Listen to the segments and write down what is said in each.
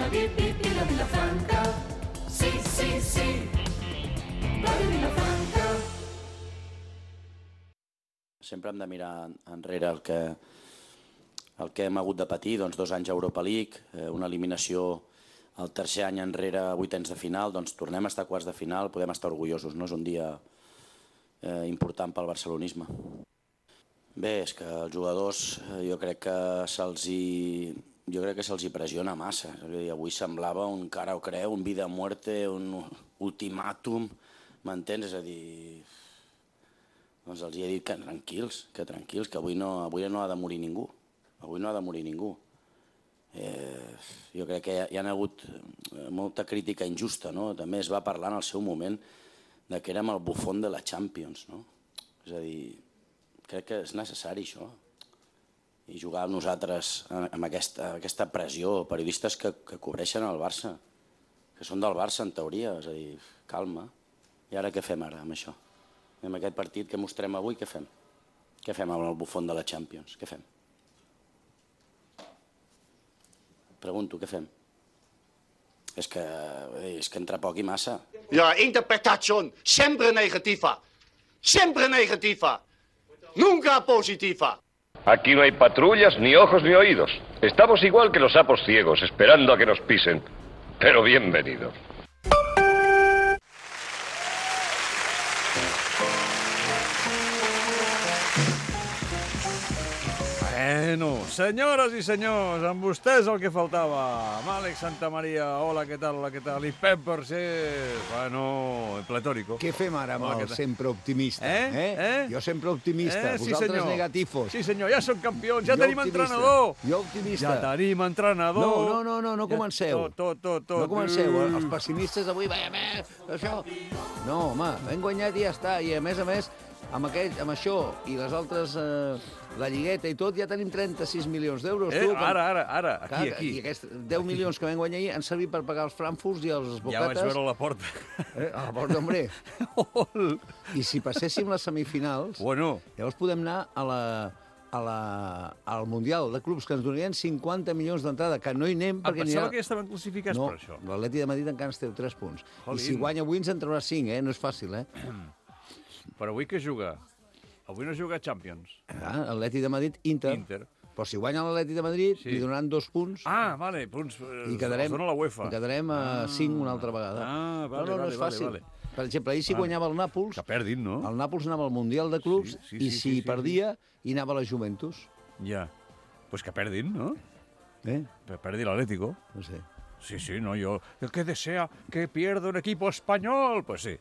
la Vilafranca. Sí, sí, sí, Ràdio Vilafranca. Sempre hem de mirar enrere el que hem hagut de patir, doncs 2 anys a Europa League, una eliminació el tercer any enrere a vuitens de final, doncs tornem a estar a quarts de final, podem estar orgullosos, no? És un dia important pel barcelonisme. Bé, és que els jugadors jo crec que se'ls pressiona massa. Avui semblava un cara o creu, un vida o muerte, un ultimàtum, m'entens? És a dir, doncs els he dit que tranquils, que avui no ha de morir ningú. Avui no ha de morir ningú. Jo crec que hi ha hagut molta crítica injusta, no? També es va parlar en el seu moment de que érem el bufón de la Champions, no? És a dir, crec que és necessari això. I jugar amb nosaltres amb aquesta pressió, periodistes que cobreixen el Barça, que són del Barça en teoria, és a dir, calma. I ara què fem ara amb això? Amb aquest partit que mostrem avui, què fem? Què fem amb el bufón de la Champions? Què fem? Pregunto, què fem? És que entra poc i massa. Ja, interpretación siempre negativa. Siempre negativa. Nunca positiva. Aquí no hay patrullas, ni ojos, ni oídos. Estamos igual que los sapos ciegos, esperando a que nos pisen. Pero bienvenidos. Bueno, senyores i senyors, amb vostès el que faltava. Amb Àlex Santamaria, hola, què tal, I Pep Barcés, bueno, pletórico. Què fem ara amb el sempre optimista? Jo sempre optimista, vosaltres senyor. negatifos. Sí, senyor, ja som campions, ja Jo tenim optimista. entrenador. Jo optimista. Ja tenim entrenador. No comenceu. Tot. No comenceu, els pessimistes avui, això... No, home, hem guanyat i ja està, i a més, amb això i les altres, la lligueta i tot, ja tenim 36 milions d'euros. Ara, aquí. I aquests 10 milions que vam guanyar ahir han servit per pagar els frankfurts i els bocates. Ja vaig veure a la porta. A la porta, hombre. I si passéssim les semifinals, llavors podem anar al Mundial de Clubs, que ens donarien 50 milions d'entrada, que no hi anem perquè pensava que ja estaven classificats per això. No, l'Atleti de Madrid encara ens treu 3 punts. I si guanya avui ens en traurà 5, no és fàcil, Però avui què juga? Avui no juga Champions. Atleti de Madrid, Inter. Però si guanya l'Atleti de Madrid, li donaran 2 punts. Vale, punts. I quedarem la UEFA. I quedarem a 5 una altra vegada. Vale, no és fàcil. Vale. Per exemple, ahir si guanyava el Nàpols... Que perdin, no? El Nàpols anava al Mundial de Clubs i si perdia, hi anava la Juventus. Ja. Pues que perdin, no? Que perdi l'Atlético. No sé. Sí, no, yo... El que desea que pierda un equipo espanyol, pues sí.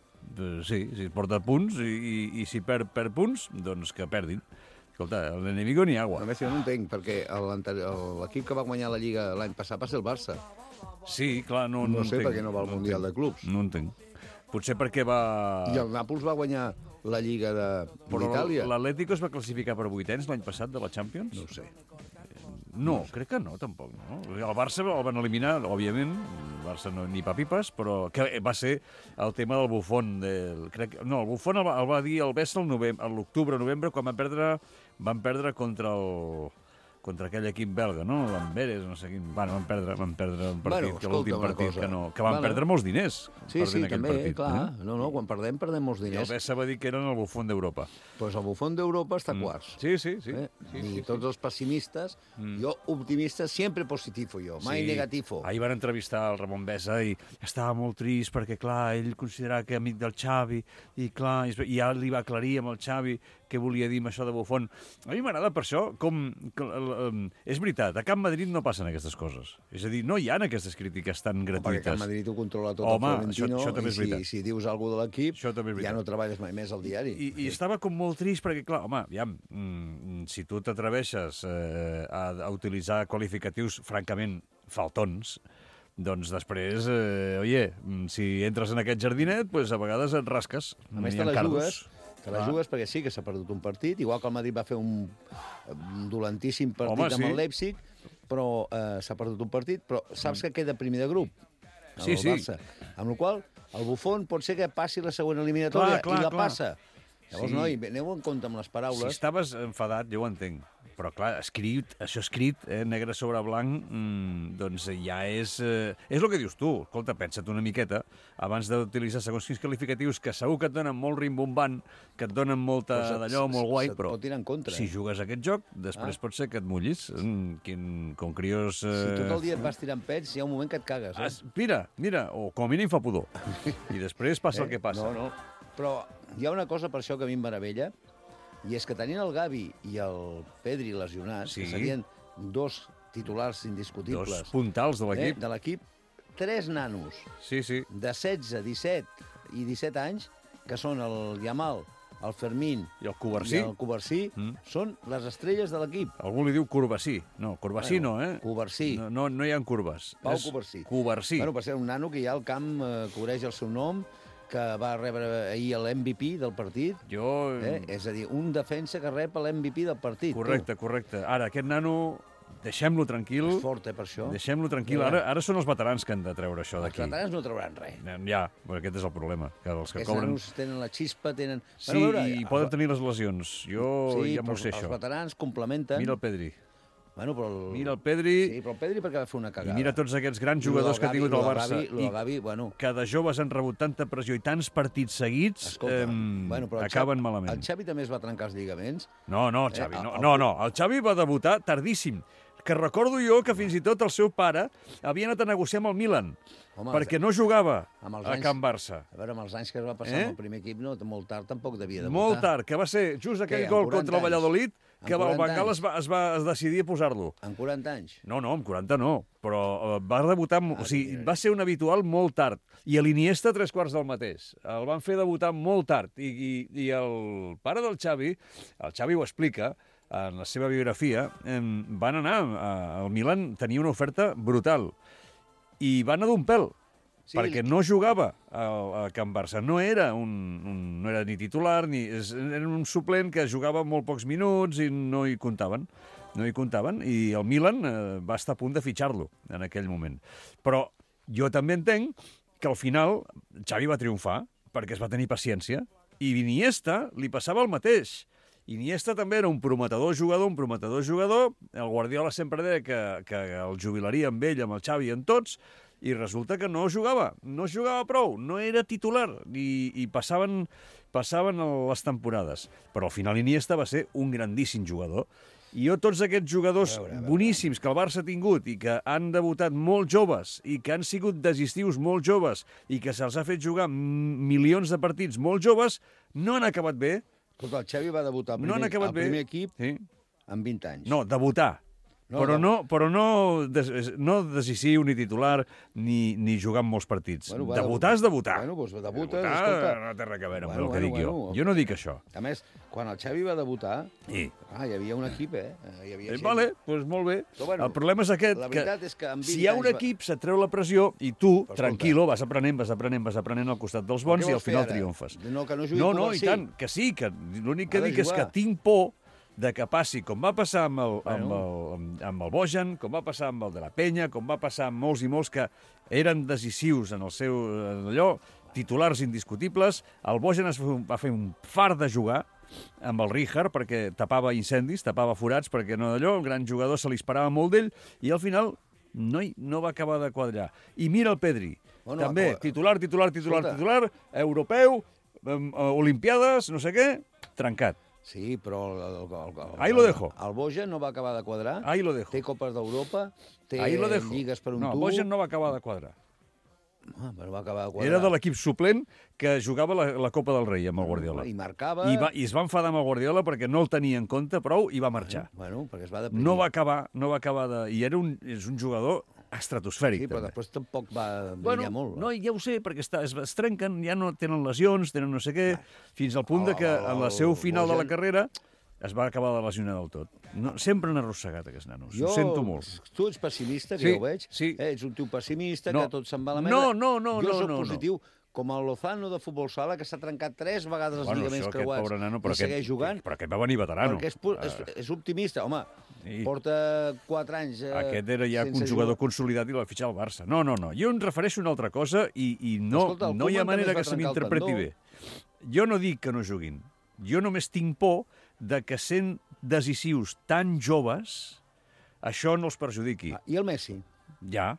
Sí, si porta punts i si perd punts, doncs que perdin. Escolta, l'enemigo ni agua. A més, jo no entenc, perquè l'equip que va guanyar la Lliga l'any passat va ser el Barça. Sí, clar, no sé entenc. per què no va al Mundial de Clubs. No entenc. Potser perquè va... I el Nàpols va guanyar la Lliga d'Itàlia. Però l'Atlético es va classificar per vuitens l'any passat de la Champions? No ho sé. No, crec que no, tampoc. No? El Barça el van eliminar, òbviament, el Barça no, ni papipes, però que va ser el tema del bufón. El bufón el va dir el Bessa l'octubre, novembre, quan van perdre contra aquell equip belga, no? L'Amberes, no sé quin... Van perdre un partit, l'últim partit, que van perdre molts diners. Sí, també, clar. No, quan perdem molts diners. I el Bessa va dir que eren el bufón d'Europa. Doncs el bufón d'Europa està a quarts. Sí. I tots els pessimistes, jo optimista, sempre positivo jo, mai negativo. Ahir van entrevistar el Ramon Bessa i estava molt trist perquè, clar, ell considerava que amic del Xavi i, clar, i ja li va aclarir amb el Xavi què volia dir amb això de bufón. A mi m'agrada per això és veritat, a Camp Madrid no passen aquestes coses. És a dir, no hi ha aquestes crítiques tan gratuïtes. Perquè Camp Madrid ho controla tot el Florentino, això també és veritat. I si dius alguna cosa de l'equip, ja no treballes mai més al diari. I estava com molt trist perquè, clar, home, aviam, si tu t'atreveixes a utilitzar qualificatius francament faltons, doncs després, si entres en aquest jardinet, pues a vegades et rasques. A més, te la jugues perquè sí que s'ha perdut un partit, igual que el Madrid va fer un dolentíssim partit amb el Leipzig, però s'ha perdut un partit, però saps que queda primer de grup, el Barça. Amb la qual cosa, el bufón pot ser que passi la següent eliminatòria i la passa. Llavors, noi, aneu en compte amb les paraules. Si estaves enfadat, jo ho entenc, Però, clar, això escrit, negre sobre blanc, doncs ja és el que dius tu. Escolta, pensa't una miqueta, abans d'utilitzar segons quins qualificatius, que segur que et donen molt rimbombant, que et donen molta d'allò, molt guai, però pot tirar en contra, si jugues a aquest joc, després pot ser que et mullis. Com crios... Si tot el dia et vas tirant pets, hi ha un moment que et cagues. Mira, o com a mínim fa pudor. I després passa el que passa. No. Però hi ha una cosa per això que a mi em meravella, i és que tenint el Gavi i el Pedri lesionats, que serien dos titulars indiscutibles... Dos puntals de l'equip. De l'equip, 3 nanos de 16, 17 i 17 anys, que són el Yamal, el Fermín i el Covarsí, són les estrelles de l'equip. Algú li diu Covarsí. No, Covarsí no, Covarsí. No hi ha curves. Pau Covarsí. Covarsí. Bueno, per ser un nano que ja al camp cobreix el seu nom, que va rebre ahir l'MVP del partit. És a dir, un defensa que rep l'MVP del partit. Correcte. Ara, aquest nano, deixem-lo tranquil. És fort, per això. Deixem-lo tranquil. Ara són els veterans que han de treure això d'aquí. Els veterans no trauran res. Ja, però aquest és el problema. Que els que aquests cobren... nanos tenen la xispa, tenen... Sí, i poden tenir les lesions. Jo ja m'ho sé, això. Els veterans complementen... Mira el Pedri. Mira el Pedri... Sí, però el Pedri perquè va fer una cagada. I mira tots aquests grans jugadors que ha tingut el Barça. Gavi, que de joves han rebut tanta pressió i tants partits seguits, acaben malament. El Xavi també es va trencar els lligaments. No, el Xavi. El Xavi va debutar tardíssim. Que recordo jo que fins i tot el seu pare havia anat a negociar amb el Milan, perquè no jugava a Can Barça. A veure, amb els anys que es va passar amb el primer equip, molt tard tampoc devia debutar. Molt tard, que va ser just aquell gol contra el Valladolid, que el Bengal es va decidir a posar-lo. En 40 anys? No, amb 40 no, però va debutar... O sigui, va ser un habitual molt tard. I a l'Iniesta 3/4 del mateix. El van fer debutar molt tard. I el pare del Xavi, el Xavi ho explica, en la seva biografia, van anar al Milan, tenia una oferta brutal, i van anar d'un pèl, perquè no jugava a Can Barça. No era ni titular, era un suplent que jugava molt pocs minuts i no hi comptaven. I el Milan va estar a punt de fitxar-lo en aquell moment. Però jo també entenc que al final Xavi va triomfar, perquè es va tenir paciència, i Iniesta li passava el mateix. Iniesta també era un prometedor jugador. El Guardiola sempre deia que el jubilaria amb ell, amb el Xavi i amb tots, i resulta que no jugava prou, no era titular, i passaven les temporades. Però al final Iniesta va ser un grandíssim jugador. I jo tots aquests jugadors boníssims que el Barça ha tingut i que han debutat molt joves i que han sigut decisius molt joves i que se'ls ha fet jugar milions de partits molt joves, no han acabat bé. Escolta, el Xavi va debutar al primer equip amb 20 anys. No, debutar. Però no decisiu, ni titular, ni jugar en molts partits. Debutar és debutar. Doncs debutes, debutar escolta... no té res a veure amb el que dic jo. Jo no dic això. A més, quan el Xavi va debutar, hi havia un equip, Hi havia vale, doncs molt bé. El problema és aquest, que si hi ha un equip, se't treu la pressió i tu, tranquil·lo, vas aprenent al costat dels bons i al final triomfes. No, i tant, que sí, que l'únic que dic és que tinc por de que passi, com va passar amb el Bojan, com va passar amb el de la Penya, com va passar amb molts i molts que eren decisius en el seu titulars indiscutibles. El Bojan va fer un fart de jugar amb el Rijkaard perquè tapava incendis, tapava forats, perquè no d'allò, el gran jugador se li esperava molt d'ell, i al final no va acabar de quadrar. I mira el Pedri, també, titular, europeu, olimpiades, no sé què, trencat. Sí, però ahí lo dejo. El Bojan no va acabar de quadrar. Ahí lo dejo. Té Copes d'Europa, té lligues per un tubo. No, el Bojan no va acabar de quadrar. Però va acabar de quadrar. Era de l'equip suplent que jugava la Copa del Rei amb el Guardiola. I marcava... I es va enfadar amb el Guardiola perquè no el tenia en compte prou i va marxar. Bueno, perquè es va deprimir. No va acabar de... I és un jugador estratosfèric. Sí, però després tampoc va brillar molt. No, ja ho sé, perquè es trenquen, ja no tenen lesions, tenen no sé què, fins al punt que en la seu final de la carrera es va acabar de lesionar del tot. Sempre han arrossegat aquests nanos, ho sento molt. Tu ets pessimista, que ja ho veig. Ets un tio pessimista, que tot se'n va a la merda. No. Jo soc positiu. Com el Lozano de futbol sala, que s'ha trencat 3 vegades els lligaments creuats i segueix jugant. Però aquest va venir veterano. Perquè és optimista. Home, porta 4 anys aquest era ja un jugador consolidat i l'ha fitxat al Barça. No. Jo em refereixo a una altra cosa i no hi ha manera que se m'interpreti bé. Jo no dic que no juguin. Jo només tinc por de que sent decisius tan joves, això no els perjudiqui. I el Messi? Ja.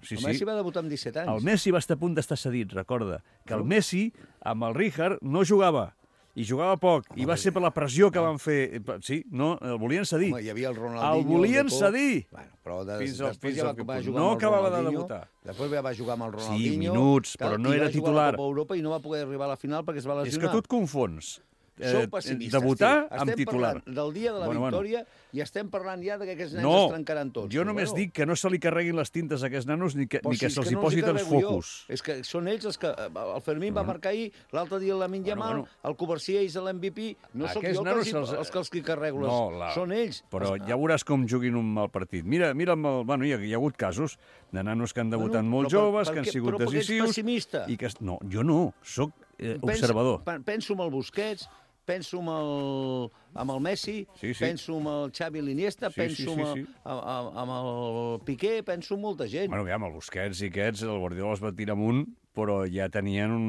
Sí, El Messi va debutar amb 17 anys. El Messi va estar a punt d'estar cedit, recorda, que el Messi, amb el Rijkaard, no jugava. I jugava poc, i va ser per la pressió que van fer. Sí, no, el volien cedir. Home, hi havia el Ronaldinho... El volien cedir! Bueno, però Fins ja al va jugar no amb el acabava de Ronaldinho, debutar. Després ja va jugar amb el Ronaldinho... Sí, minuts, però no era titular. I va jugar a titular. la Copa Europa i no va poder arribar a la final perquè es va lesionar. És que tu et confons. Sou pessimistes, debutar tio. amb titular. Estem parlant del dia de la victòria i estem parlant ja que aquests nens es trencaran tots. Jo només dic que no se li carreguin les tintes a aquests nanos ni que se'ls hi posin els focus. És que són ells els que... El Fermín va marcar ahir, l'altre dia el Lamine Yamal, el Covarsí és l'MVP. No sóc jo els que els carrego. Són ells. Però ja veuràs com juguin un mal partit. Mira, hi ha hagut casos de nanos que han debutat molt joves, que han sigut decisius... Però perquè ets pessimista. No, jo no, sóc observador. Penso en el Busquets, penso amb el Messi, penso amb el Xavi l'Iniesta, penso amb el Piqué, penso en molta gent. Bueno, aviam, el Busquets i aquests, el Guardiola els va tirar amunt, però ja tenien un...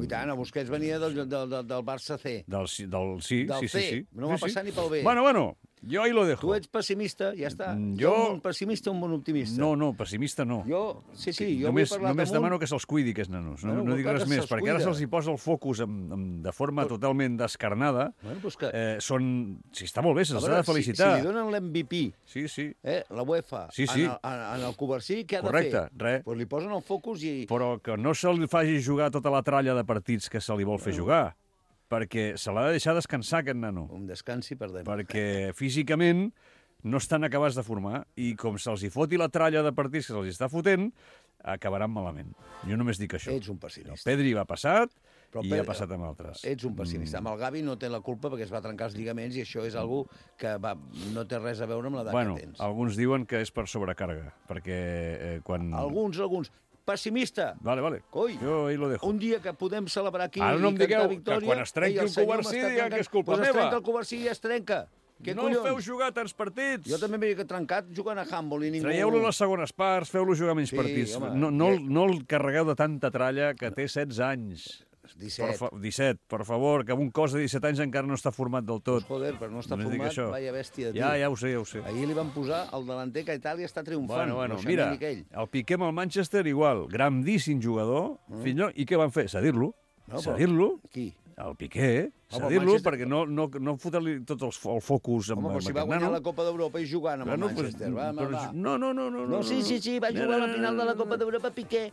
I tant, el Busquets venia del Barça C. Sí. No va passar ni pel B. Bueno, jo ahí lo dejo. Tu ets pessimista, ja està. Jo... Un pessimista o un bon optimista? No, pessimista no. Jo només demano que se'ls cuidi, aquests nanos. No dic res més, perquè ara se'ls hi posa el focus de forma totalment descarnada. Si està molt bé, se'ls ha de felicitar. Si li donen l'MVP, la UEFA, en el Covarsí, què ha de fer? Correcte, res. Doncs li posen el focus i... Però que no se'l faci jugar tota la tralla de partits que se li vol fer jugar. Perquè se l'ha de deixar descansar, aquest nano. Un descansi, perdem. Perquè físicament no estan acabats de formar i com se'ls hi foti la tralla de partits que se'ls està fotent, acabaran malament. Jo només dic això. Ets un pessimista. El Pedri va passat i ha passat amb altres. Ets un pessimista. Amb el Gavi no té la culpa perquè es va trencar els lligaments i això és algo que no té res a veure amb l'edat que tens. Alguns diuen que és per sobrecàrrega, perquè quan... Alguns. Pessimista. Vale. Coi, jo ahí lo dejo. Un dia que podem celebrar aquí ara no em digueu victòria, que quan es trenqui el Covarsí digueu que és culpa meva. Es trenca el Covarsí i es trenca. No el feu jugar tants partits. Jo també m'he trencat jugant a handball i ningú... Traieu-lo a les segones parts, feu-lo jugar menys partits. No el carregueu de tanta tralla que té 16 anys. 17, per favor, que un cos de 17 anys encara no està format del tot. Joder, però no està format, vaya bèstia. Ja ho sé. Ahir li van posar el delanter que a Itàlia està triomfant. Bueno, mira, el Piqué amb el Manchester igual, grandíssim jugador, i què van fer? Cedir-lo. Qui? El Piqué, cedir-lo perquè no fotre-li tot el focus amb aquest nano. Home, però si va guanyar la Copa d'Europa i jugant amb el Manchester. No. Sí, va jugar a la final de la Copa d'Europa Piqué.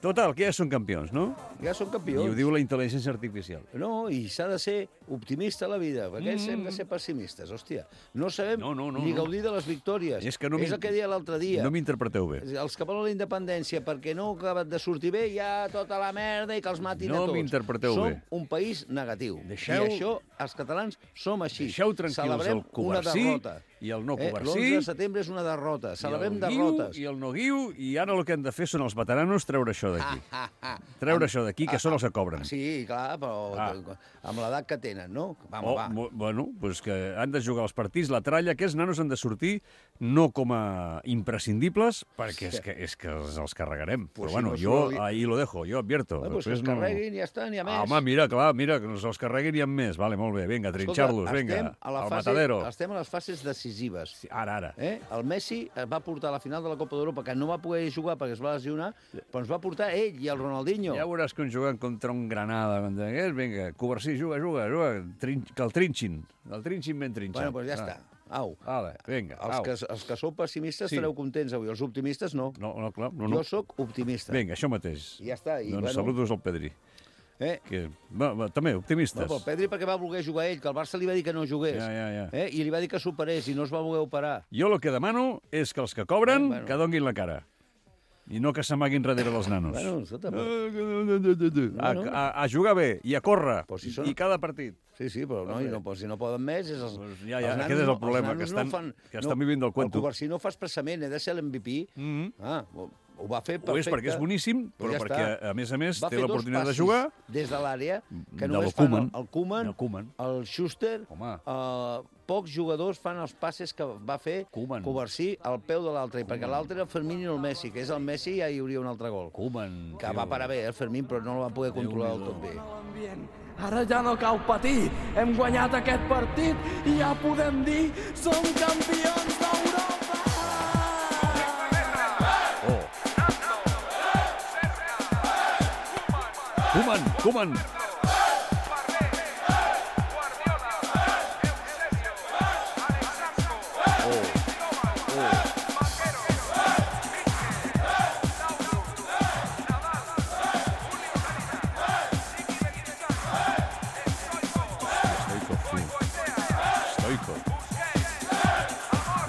Total, que ja són campions, no? Ja són campions. I ho diu la intel·ligència artificial. No, i s'ha de ser optimista a la vida, perquè hem de ser pessimistes, hòstia. No sabem ni gaudir de les victòries. És el que deia l'altre dia. No m'interpreteu bé. Els que volen la independència perquè no ha acabat de sortir bé, ja tota la merda i que els matin a tots. No m'interpreteu bé. Som un país negatiu. I això, els catalans, som així. Deixeu tranquils el Covarsí i el no Covarsí. L'11 de setembre és una derrota. Celebrem derrotes. I el no guiu, i ara el que han de fer són els veteranos treure això d'aquí. Treure això d'aquí, que són els que cobren. Sí, clar, però amb l'edat que tenen, no? Bueno, doncs que han de jugar els partits, la tralla, aquests nanos han de sortir no com a imprescindibles, perquè és que els carregarem. Però bueno, jo ahí lo dejo, jo advierto. Doncs que els carreguin i ja està, n'hi ha més. Home, mira, que els carreguin i hi ha més. Vale, molt bé, vinga, trinxar-los, vinga, al matadero. Estem a les fases decisives. Ara. El Messi va portar a la final de la Copa d'Europa, que no va poder jugar perquè es va lesionar, però ens va portar ell i el Ronaldinho. Ja veuràs que juguen contra un Granada. Vinga, Covarsí, juga, que el trinxin ben trinxat. Bueno, doncs ja està. Au. Vinga, els que sou pessimistes estareu contents avui, els optimistes no. No, clar. Jo sóc optimista. Vinga, això mateix. I ja està. Doncs saludos al Pedri. També, optimistes. No, el Pedri perquè va voler jugar ell, que el Barça li va dir que no jugués. I li va dir que s'operés i no es va voler operar. Jo el que demano és que els que cobren, que donguin la cara. I no que s'amaguin darrere dels nanos. A jugar bé i a córrer. I cada partit. Sí, però si no poden més... Aquest és el problema, que estan vivint del cuento. El Covarsí no fa expressament, de ser l'MVP. Ho va fer perfecte. Ho és perquè és boníssim, però perquè, a més, té l'oportunitat de jugar... Des de l'àrea, que només fan el Koeman, el Schuster, pocs jugadors fan els passes que va fer Covarsí al peu de l'altre, perquè l'altre era el Fermín i no el Messi, que és el Messi i ja hi hauria un altre gol. Que va parar bé, el Fermín, però no el va poder controlar del tot bé. Bien. Ara ja no cal patir, hem guanyat aquest partit i ja podem dir som campions d'Europa! Koeman!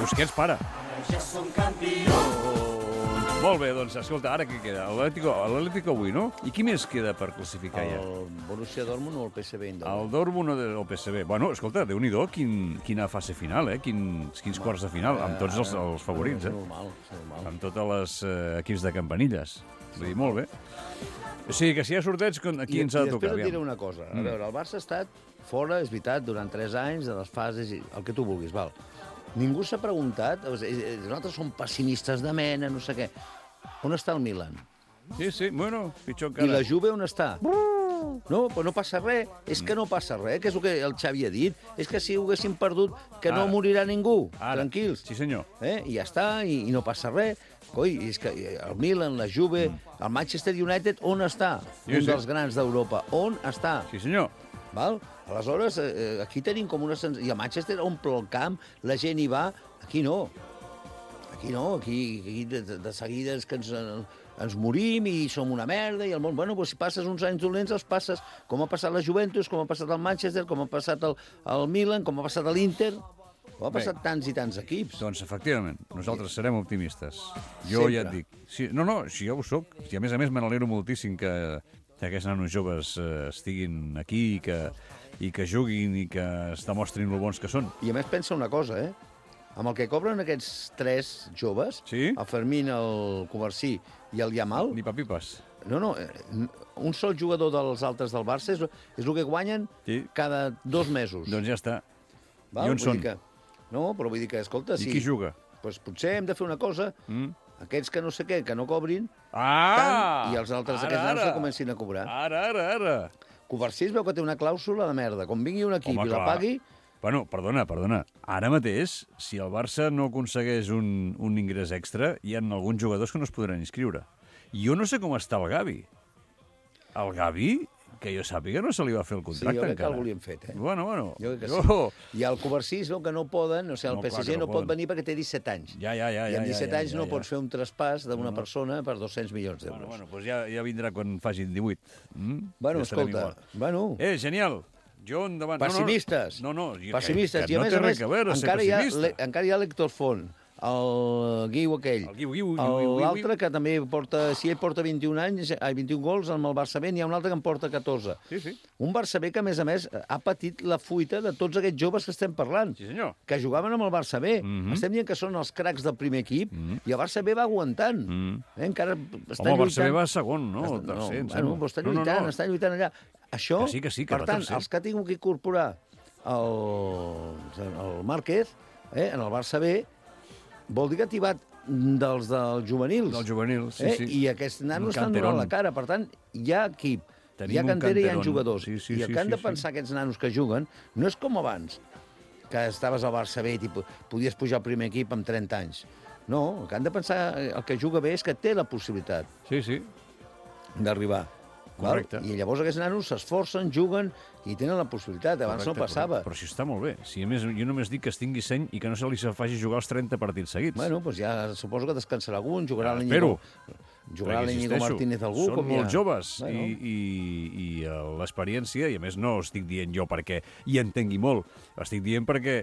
Busquets para. Ja som campions. Molt bé, doncs, escolta, ara què queda? L'Atlético avui, no? I qui més queda per classificar ja? El Borussia Dortmund o el PSV Eindhoven? El Dortmund o el PSV. Bueno, escolta, Déu-n'hi-do, quina fase final, eh? Quins quarts de final, amb tots els favorits, eh? És normal. Amb tots els equips de campanilles. Vull dir, molt bé. O sigui, que si hi ha sorteig, aquí ens ha de tocar. I després et diré una cosa. A veure, el Barça ha estat fora, és veritat, durant 3 anys, de les fases, el que tu vulguis, val. Ningú s'ha preguntat, nosaltres som pessimistes de mena, no sé què. On està el Milan? Sí, bueno, pitjor I encara. la Juve on està? No, però no passa res. És que no passa res, que és el que el Xavi ha dit. És que si ho haguéssim perdut, que no morirà ningú. Tranquils. Sí, senyor. I ja està, i no passa res. Coi, és que el Milan, la Juve, el Manchester United, on està? Un dels grans d'Europa. On està? Sí, senyor. Val? Aleshores, aquí tenim com una sensació... I a Manchester omple el camp, la gent hi va. Aquí no. Aquí de seguida és que ens morim i som una merda i el món... Bueno, doncs si passes uns anys dolents, els passes. Com ha passat la Juventus, com ha passat el Manchester, com ha passat el Milan, com ha passat l'Inter... Com ha passat tants i tants equips. Doncs, efectivament, nosaltres serem optimistes. Jo ja et dic. Sí, no, si jo ho soc. I a més me n'alegro moltíssim que aquests nanos joves estiguin aquí i que juguin i que es demostrin lo bons que són. I a més pensa una cosa, amb el que cobren aquests 3 joves, el Fermín, el Covarsí i el Yamal... Ni papipes. No, un sol jugador dels altres del Barça és el que guanyen cada 2 mesos. Doncs ja està. Val? I on són? No, però vull dir que, escolta... I qui juga? Doncs potser hem de fer una cosa... Aquests que no sé què, que no cobrin, tant, i els altres, aquests nanos que comencin a cobrar. Ara. Covarsí es veu que té una clàusula de merda. Com vingui un equip i la pagui... Bueno, perdona. Ara mateix, si el Barça no aconsegueix un ingrés extra, hi ha alguns jugadors que no es podran inscriure. Jo no sé com està el Gavi. El Gavi, que jo sàpiga, no se li va fer el contracte encara. Sí, jo crec que el volien fet, Bueno. Jo crec que sí. I el Covarsí es veu que no poden, o sigui, el PSG no pot venir perquè té 17 anys. Ja. I amb 17 anys no pots fer un traspàs d'una persona per 200 milions d'euros. Bueno, doncs ja vindrà quan facin 18. Bueno, escolta, genial. Jo endavant. Pessimistes. No. Pessimistes. I a més, encara hi ha l'Héctor Font, el Guiu aquell. L'altre que també porta... Si ell porta 21 gols amb el Barça B, n'hi ha un altre que en porta 14. Sí. Un Barça B que, a més, ha patit la fuita de tots aquests joves que estem parlant. Sí, senyor. Que jugaven amb el Barça B. Estem dient que són els cracs del primer equip i el Barça B va aguantant. Encara està lluitant. Home, el Barça B va segon, no? El tercer, està lluitant allà. Això, que sí, per tant, els que ha tingut que incorporar el Márquez en el Barça B vol dir que ha tibat dels juvenils. Dels juvenils, sí. I aquests nanos estan donant la cara. Per tant, hi ha equip, hi ha cantera i hi ha jugadors. I el que han de pensar aquests nanos que juguen no és com abans, que estaves al Barça B i podies pujar al primer equip amb 30 anys. No, el que han de pensar, el que juga bé és que té la possibilitat d'arribar. Correcte. I llavors aquests nanos s'esforcen, juguen i tenen la possibilitat. Abans no passava. Però si està molt bé. Si, a més, jo només dic que es tingui seny i que no se li faci jugar els 30 partits seguits. Bueno, doncs ja suposo que descansarà algun, jugarà l'Iñigo Martínez algú. Són molt joves i l'experiència, i a més no estic dient jo perquè hi entengui molt, estic dient perquè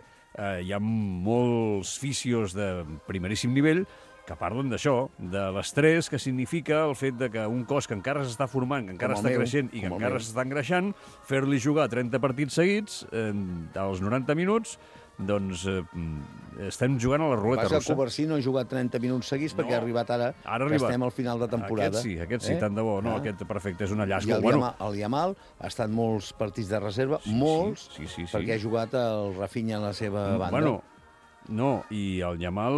hi ha molts fisios de primeríssim nivell que parlen d'això, de l'estrès que significa el fet de que un cos que encara s'està formant, que encara està creixent i que encara s'està engreixant, fer-li jugar 30 partits seguits als 90 minuts, doncs estem jugant a la ruleta russa. El Covarsí no ha jugat 30 minuts seguits perquè ha arribat ara que estem al final de temporada. Aquest sí, tant de bo. No, aquest perfecte, és una llàstima. I el Yamal ha estat molts partits de reserva, molts, perquè ha jugat el Rafinha a la seva banda. Bueno, No, i el Yamal,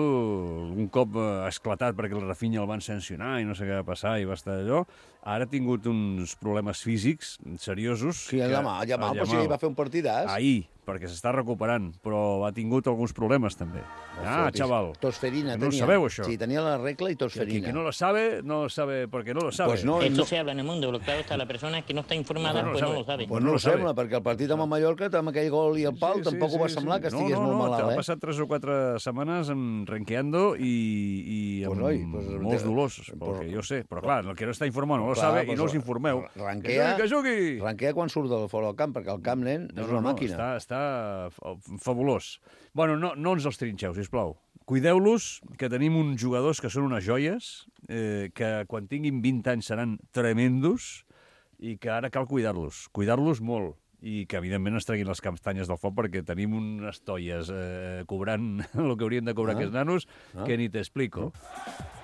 un cop esclatat perquè el Rafinha el van sancionar i no sé què va passar i va estar allò, ara ha tingut uns problemes físics seriosos. Sí, el Yamal, però si va fer un partidàs. Ahir, perquè s'està recuperant, però ha tingut alguns problemes també. Chaval. Tosferina no tenia. No sabeu, això? Sí, tenia la regla i tosferina. Que no lo sabe, no lo sabe porque no lo sabe. Pues no, Esto se habla en el mundo, lo claro está, la persona que no está informada, pues no lo sabe. Pues no ho sembla, perquè el partit amb el Mallorca, amb aquell gol i el pal, tampoc ho va semblar que estigués molt malalt, Ha passat 3 o 4 setmanes renqueando i amb molts dolors, perquè jo sé. Però clar, el que no està informat no lo sabe i no us informeu. Ranquea quan surt fora del camp, perquè el camp, nen, és una màquina. Està fabulós. Bueno, no ens els trinxeu, sisplau. Cuideu-los, que tenim uns jugadors que són unes joies, que quan tinguin 20 anys seran tremendos i que ara cal cuidar-los molt. I que, evidentment, es treguin les castanyes del foc perquè tenim unes toies cobrant el que haurien de cobrar aquests nanos que ni t'explico.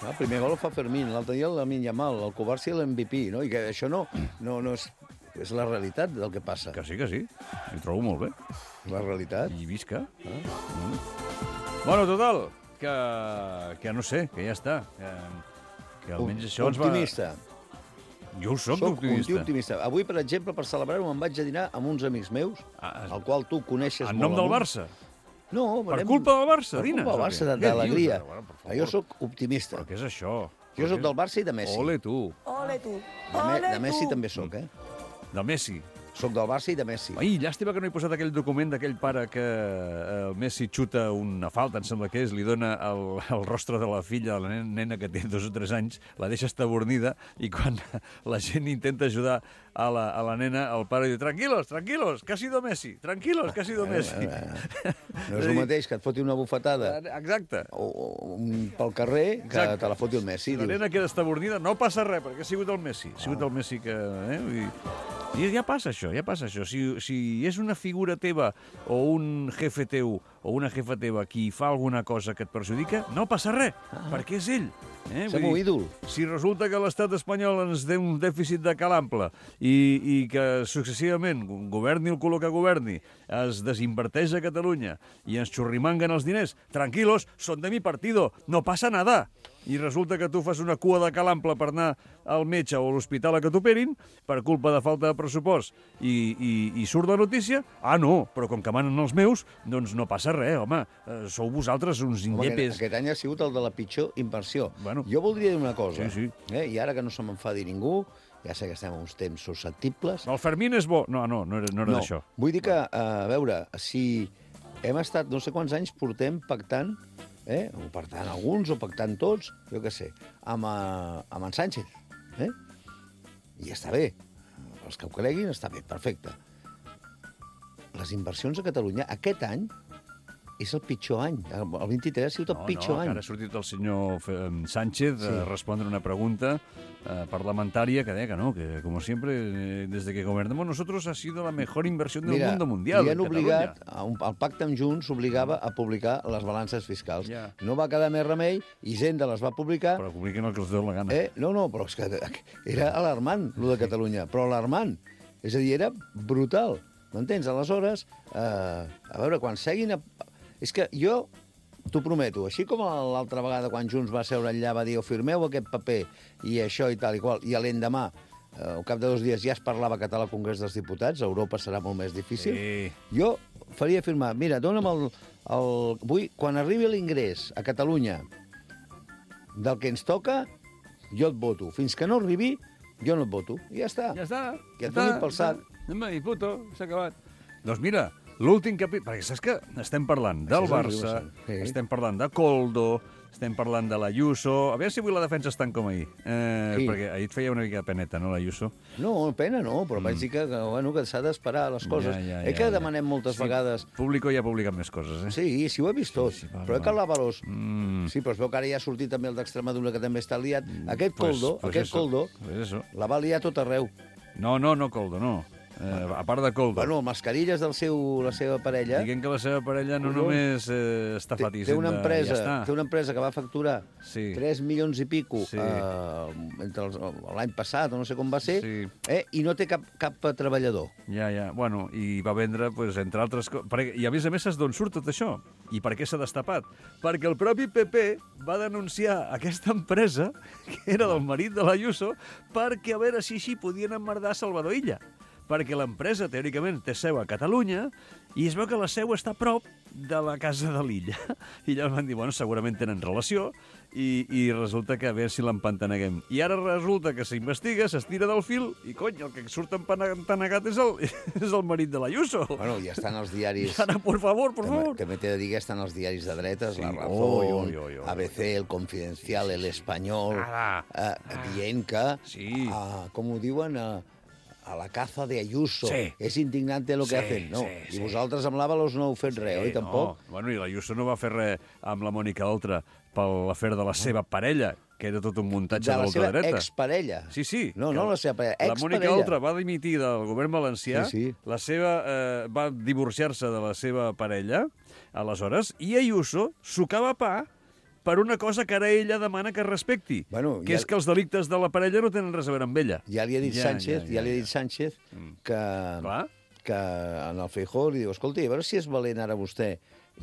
El primer gol el fa Fermín, l'altre dia el Lamine Yamal, el Covarsí l'MVP, no? I que això no és la realitat del que passa. Que sí. Ho trobo molt bé. La realitat. I visca. Bueno, total, que no sé, que ja està. Que almenys això ens va... Optimista. Jo ho soc optimista. Avui, per exemple, per celebrar-ho, me'n vaig a dinar amb uns amics meus, al qual tu coneixes molt. En nom del Barça? No. Per culpa del Barça, dines? Per culpa del Barça, d'alegria. Jo sóc optimista. Però què és això? Jo sóc del Barça i de Messi. Ole tu. De Messi també sóc, De Messi. Soc del Barça i de Messi. Ai, llàstima que no he posat aquell document d'aquell pare que el Messi xuta una falta, em sembla que és, li dona el rostre de la filla, de la nena que té 2 o 3 anys, la deixa estabornida i quan la gent intenta ajudar a la nena, el pare diu tranquilos, que ha sido Messi, tranquilos, que ha sido Messi. No és el mateix que et foti una bufetada pel carrer que te la foti el Messi. La nena queda estabornida, no passa res, perquè ha sigut el Messi. Ha sigut el Messi que... I ja passa això. Si és una figura teva o un jefe teu o una jefa teva qui fa alguna cosa que et perjudica, no passa res, perquè és ell. És el meu ídol. Si resulta que l'estat espanyol ens té un dèficit de calample i que successivament, governi el color que governi, es desinverteix a Catalunya i ens xurrimanguen els diners, tranquilos, son de mi partido, no passa nada. I resulta que tu fas una cua de calample per anar al metge o a l'hospital a que t'operin per culpa de falta de pressupost i surt la notícia, no, però com que manen els meus, doncs no passa res, home, sou vosaltres uns indepes. Aquest any ha sigut el de la pitjor inversió. Jo voldria dir una cosa, i ara que no se m'enfadi ningú, ja sé que estem en uns temps susceptibles... El Fermín és bo. No era d'això. Vull dir que, a veure, si hem estat no sé quants anys portem pactant, o pactant alguns, o pactant tots, jo què sé, amb en Sánchez. I està bé. Els que ho creguin, està bé, perfecte. Les inversions a Catalunya, aquest any, és el pitjor any. El 23 ha sigut el pitjor any. Ara ha sortit el senyor Sánchez a respondre una pregunta parlamentaria que deia que no, que como siempre, desde que gobernamos nosotros ha sido la mejor inversión del mundo mundial. Li han obligat, el pacte amb Junts obligava a publicar les balances fiscals. No va quedar més remei, Hisenda les va publicar... Però publiquen el que els deu la gana. No, però és que era alarmant, el de Catalunya, però alarmant. És a dir, era brutal. M'entens? Aleshores, a veure, quan seguin... És que jo t'ho prometo, així com l'altra vegada quan Junts va seure allà va dir firmeu aquest paper i això i tal i qual, i a l'endemà, al cap de 2 dies ja es parlava català al Congrés dels Diputats, a Europa serà molt més difícil, jo faria firmar, mira, dona'm quan arribi l'ingrés a Catalunya del que ens toca, jo et voto. Fins que no arribi, jo no et voto. I ja està. Ja està. Que et donin pel sac. I puto, s'ha acabat. Doncs mira, l'últim capítol... Perquè saps que estem parlant del Barça, estem parlant de Koldo, estem parlant de l'Ayuso... A veure si avui la defensa és tant com ahir. Perquè ahir et feia una mica de peneta, no, l'Ayuso? No, pena no, però vaig dir que s'ha d'esperar les coses. Que demanem moltes vegades... Público ja ha publicat més coses, Sí, ho he vist tot. Però que l'Avalos... Sí, però es veu que ara ja ha sortit també el d'Extremadura, que també està liat. Aquest Koldo, la va liar tot arreu. No, Koldo, no. a part de Coldo. Bueno, el Mascarillas la seva parella... Diguem que la seva parella no només està fat té una empresa, ja té una empresa que va facturar 3 milions i pico entre l'any passat, o no sé com va ser, i no té cap treballador. Ja. Bueno, i va vendre, entre altres coses... I a més, saps d'on surt tot això? I per què s'ha destapat? Perquè el propi PP va denunciar aquesta empresa, que era del marit de l'Ayuso, perquè a veure si així podien emmerdar Salvador Illa. Perquè l'empresa, teòricament, té seu a Catalunya i es veu que la seu està a prop de la casa de l'Illa. I llavors van dir, bueno, segurament tenen relació i resulta que a veure si l'empantaneguem. I ara resulta que s'investiga, s'estira del fil i, cony, el que surt empantanegat és el marit de l'Ayuso. Bueno, ja estan els diaris... I ara, por favor. També t'he de dir que estan els diaris de dretes, La Razón, ABC, El Confidencial, El Espanyol, dient que, com ho diuen... a la caza de Ayuso. És indignante lo que hacen. No. I vosaltres amb l'Ábalos no heu fet res, oi? Tampoc? No. Bueno, i l'Ayuso no va fer res amb la Mònica Oltra per l'afer de la seva parella, que era tot un muntatge de l'ultradreta. De la seva exparella. Sí. No la seva parella, exparella. La Mònica Oltra va dimitir del govern valencià, va divorciar-se de la seva parella, aleshores, i Ayuso sucava pa per una cosa que ara ella demana que es respecti, que és que els delictes de la parella no tenen res a veure amb ella. Ja li ha dit Sánchez que en el Feijóo li diu, escolti, a veure si és valent ara vostè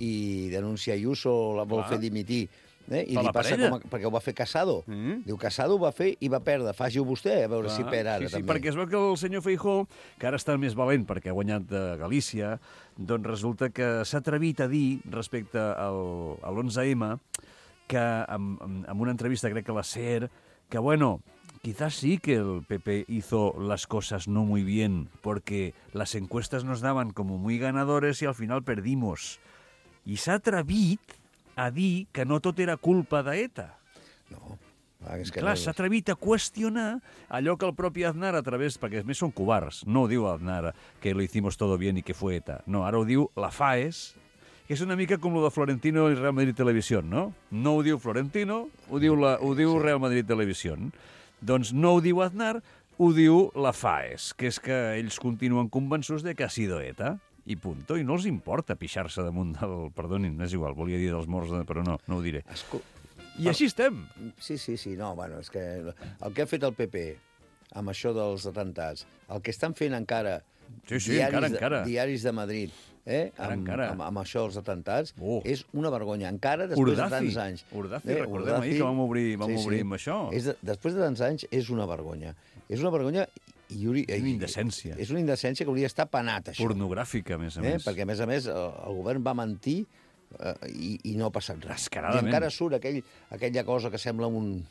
i denuncia Ayuso, la vol fer dimitir. I li passa perquè ho va fer Casado. Diu, Casado ho va fer i va perdre. Faci-ho vostè, a veure si perd ara. Sí, perquè es veu que el senyor Feijóo, que ara està més valent perquè ha guanyat de Galícia, doncs resulta que s'ha atrevit a dir respecte a l'11M que en una entrevista, crec que a la SER, que bueno, quizás sí que el PP hizo las cosas no muy bien, porque las encuestas nos daban como muy ganadores y al final perdimos. I s'ha atrevit a dir que no tot era culpa d'ETA. No. Clar, s'ha atrevit a qüestionar allò que el propi Aznar a través... Perquè a més són covards. No ho diu Aznar que lo hicimos todo bien y que fue ETA. No, ara ho diu la FAES, que és una mica com lo de Florentino i Real Madrid Televisión, no? No ho diu Florentino, ho diu Real Madrid Televisión. Doncs no ho diu Aznar, ho diu la FAES, que és que ells continuen convençuts de que ha sido ETA, i punto. I no els importa pixar-se damunt del... Perdonin, és igual, volia dir dels morts, però no ho diré. I així estem. Sí, no, bueno, és que el que ha fet el PP amb això dels atentats, el que estan fent encara diaris de Madrid, amb això dels atentats, és una vergonya. Encara, després de tants anys... Urdazi, recordem ahir que vam obrir amb això. Després de tants anys, és una vergonya. És una vergonya i una indecència. És una indecència que hauria d'estar penat, això. Pornogràfica, a més a més. Perquè, a més, el govern va mentir i no ha passat res. Descaradament. I encara surt aquella cosa que sembla un...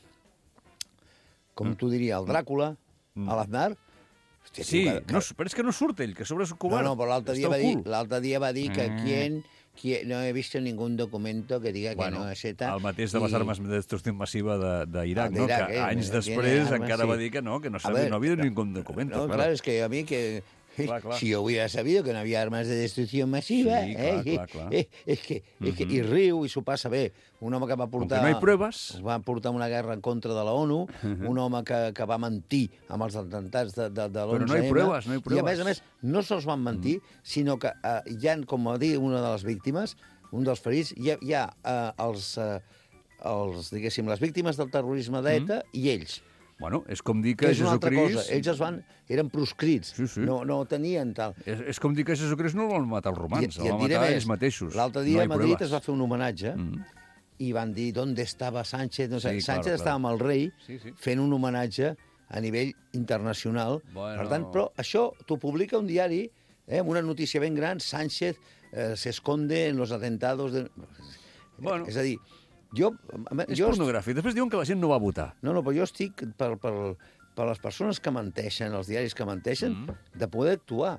Com tu diria, el Dràcula, a l'Aznar. Sí, però és que no surt ell, que a sobre és covard. No, però l'altre dia va dir que no he visto ningún documento que diga que no és ETA. El mateix de les armes de destrucció massiva d'Iraq, no? Que anys després encara va dir que no havia ningún documento. No, claro, es que a mí que... Si yo hubiera sabido que no había armas de destrucción masiva, és que i riu i s'ho passa bé. Un home que va portar... no hi proves. Va portar una guerra en contra de la ONU, un home que va mentir amb els atemptats de l'11M. Però no hi proves. I a més, no sols van mentir, sinó que hi ha, com va dir una de les víctimes, un dels ferits, hi ha diguéssim, les víctimes del terrorisme d'ETA i ells. Bueno, és com dir que Jesucrist... Ells eren proscrits, no tenien tal... És com dir que Jesucrist no el van matar els romans, el van matar ells mateixos. L'altre dia a Madrid es va fer un homenatge i van dir d'on estava Sánchez. Sánchez estava amb el rei fent un homenatge a nivell internacional. Per tant, però això t'ho publica un diari amb una notícia ben gran, Sánchez se esconde en los atentados... És a dir... És pornogràfic. Després diuen que la gent no va votar. No, però jo estic per les persones que menteixen, els diaris que menteixen, de poder actuar.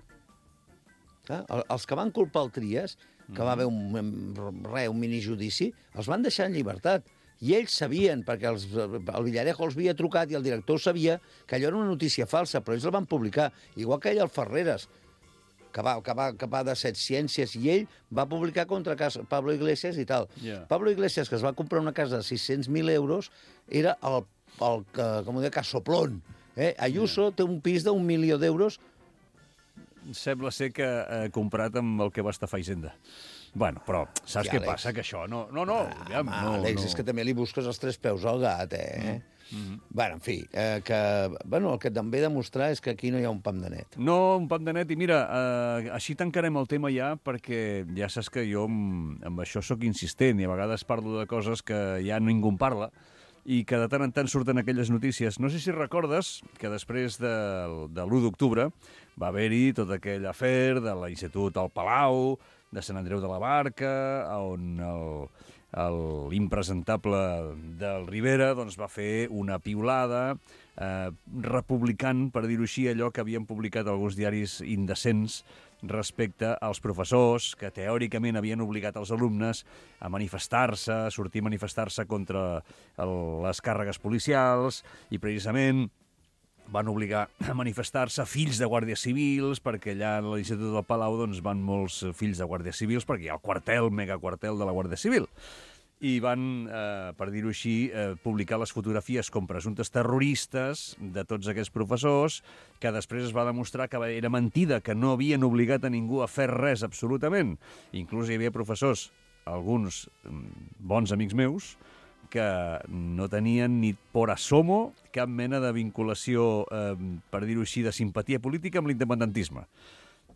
Els que van culpar el Trias, que va haver un minijudici, els van deixar en llibertat. I ells sabien, perquè el Villarejo els havia trucat i el director sabia que allò era una notícia falsa, però ells la van publicar. Igual que ell, el Ferreres, que va de Set Ciències, i ell va publicar contra Pablo Iglesias i tal. Pablo Iglesias, que es va comprar una casa de 600.000 euros, era el com ho deia, casoplón. Ayuso té un pis d'1 milió d'euros sembla ser que ha comprat amb el que va estafar Hisenda. Bueno, però saps què passa? Que això no... Àlex, és que també li busques els 3 peus al gat, Bueno, en fi, el que també demostrar és que aquí no hi ha un pam de net. No, un pam de net, i mira, així tancarem el tema ja, perquè ja saps que jo amb això sóc insistent, i a vegades parlo de coses que ja ningú en parla, i que de tant en tant surten aquelles notícies. No sé si recordes que després de l'1 d'octubre va haver-hi tot aquell afer de l'Institut al Palau, de Sant Andreu de la Barca, on l'impresentable del Rivera doncs, va fer una piulada republicant, per dir-ho així, allò que havien publicat alguns diaris indecents respecte als professors que teòricament havien obligat els alumnes a manifestar-se, a sortir a manifestar-se contra les càrregues policials, i precisament van obligar a manifestar-se fills de guàrdies civils, perquè allà a l'Institut del Palau doncs, van molts fills de guàrdies civils, perquè hi ha el quartel, megaquartel de la Guàrdia Civil. I van, per dir-ho així, publicar les fotografies com presumptes terroristes de tots aquests professors, que després es va demostrar que era mentida, que no havien obligat a ningú a fer res absolutament. Inclús hi havia professors, alguns bons amics meus, que no tenien ni por asomo cap mena de vinculació, per dir-ho així, de simpatia política amb l'independentisme.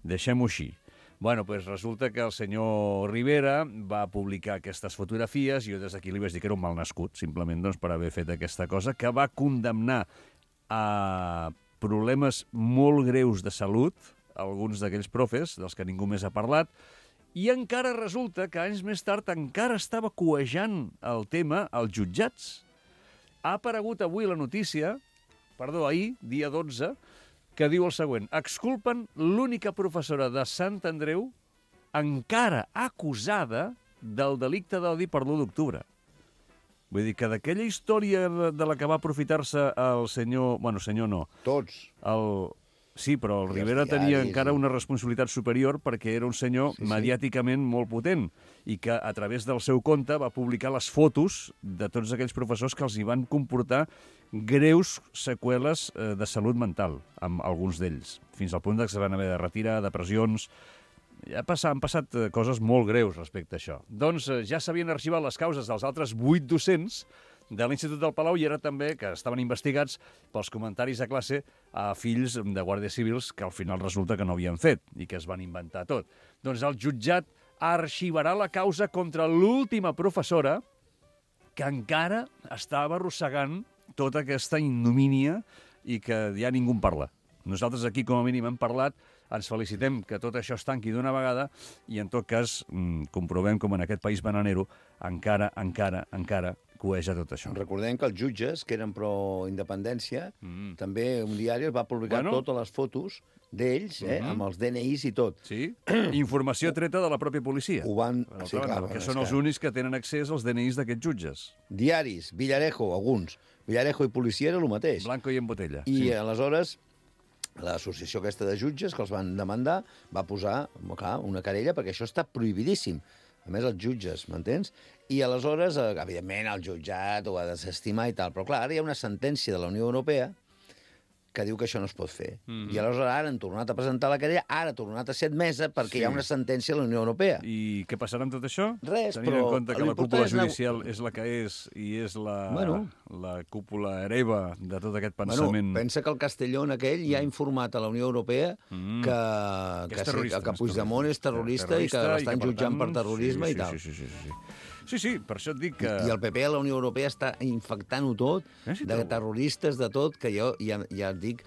Deixem-ho així. Bueno, doncs resulta que el senyor Rivera va publicar aquestes fotografies, i jo des d'aquí li vaig dir que era un mal nascut, simplement doncs, per haver fet aquesta cosa, que va condemnar a problemes molt greus de salut alguns d'aquells profes, dels que ningú més ha parlat, i encara resulta que anys més tard encara estava cuejant el tema als jutjats. Ha aparegut avui la notícia, ahir, dia 12, que diu el següent: exculpen l'única professora de Sant Andreu encara acusada del delicte d'odi per l'1 d'octubre. Vull dir que d'aquella història de la que va aprofitar-se el senyor... Bueno, senyor no. Tots. Sí, però el Rivera tenia encara una responsabilitat superior perquè era un senyor mediàticament molt potent i que a través del seu compte va publicar les fotos de tots aquells professors que els hi van comportar greus seqüeles de salut mental, amb alguns d'ells, fins al punt que se van haver de retirar, depressions... Han passat coses molt greus respecte a això. Doncs ja s'havien arxivat les causes dels altres 8 docents de l'Institut del Palau i era també que estaven investigats pels comentaris a classe a fills de guàrdies civils que al final resulta que no havien fet i que es van inventar tot. Doncs el jutjat arxivarà la causa contra l'última professora que encara estava arrossegant tota aquesta ignomínia i que ja ningú en parla. Nosaltres aquí, com a mínim, hem parlat, ens felicitem que tot això es tanqui d'una vegada i, en tot cas, comprovem com en aquest país bananero encara cueja tot això. Recordem que els jutges, que eren pro-independència, també un diari va publicar totes les fotos d'ells, amb els DNIs i tot. Sí, informació treta de la pròpia policia. Ho van... Sí, clar, que són els únics que tenen accés als DNIs d'aquests jutges. Diaris, Villarejo, alguns. Villarejo i policia era el mateix. Blanco i en botella. I aleshores l'associació aquesta de jutges que els van demandar va posar, clar, una querella perquè això està prohibidíssim. A més, els jutges, m'entens? I aleshores, evidentment, el jutjat ho ha de desestimar i tal, però clar, ara hi ha una sentència de la Unió Europea que diu que això no es pot fer. I aleshores ara han tornat a presentar la querella, ara ha tornat a ser admesa perquè hi ha una sentència de la Unió Europea. I què passarà amb tot això? Res, tenint en compte que la cúpula judicial és la que és i és la cúpula hereva de tot aquest pensament... Pensa que el Castellón aquell ja ha informat a la Unió Europea que Puigdemont és terrorista i que l'estan jutjant per terrorisme i tal. Sí, per això et dic que... I el PP a la Unió Europea està infectant-ho tot, de terroristes, de tot, que jo ja et dic,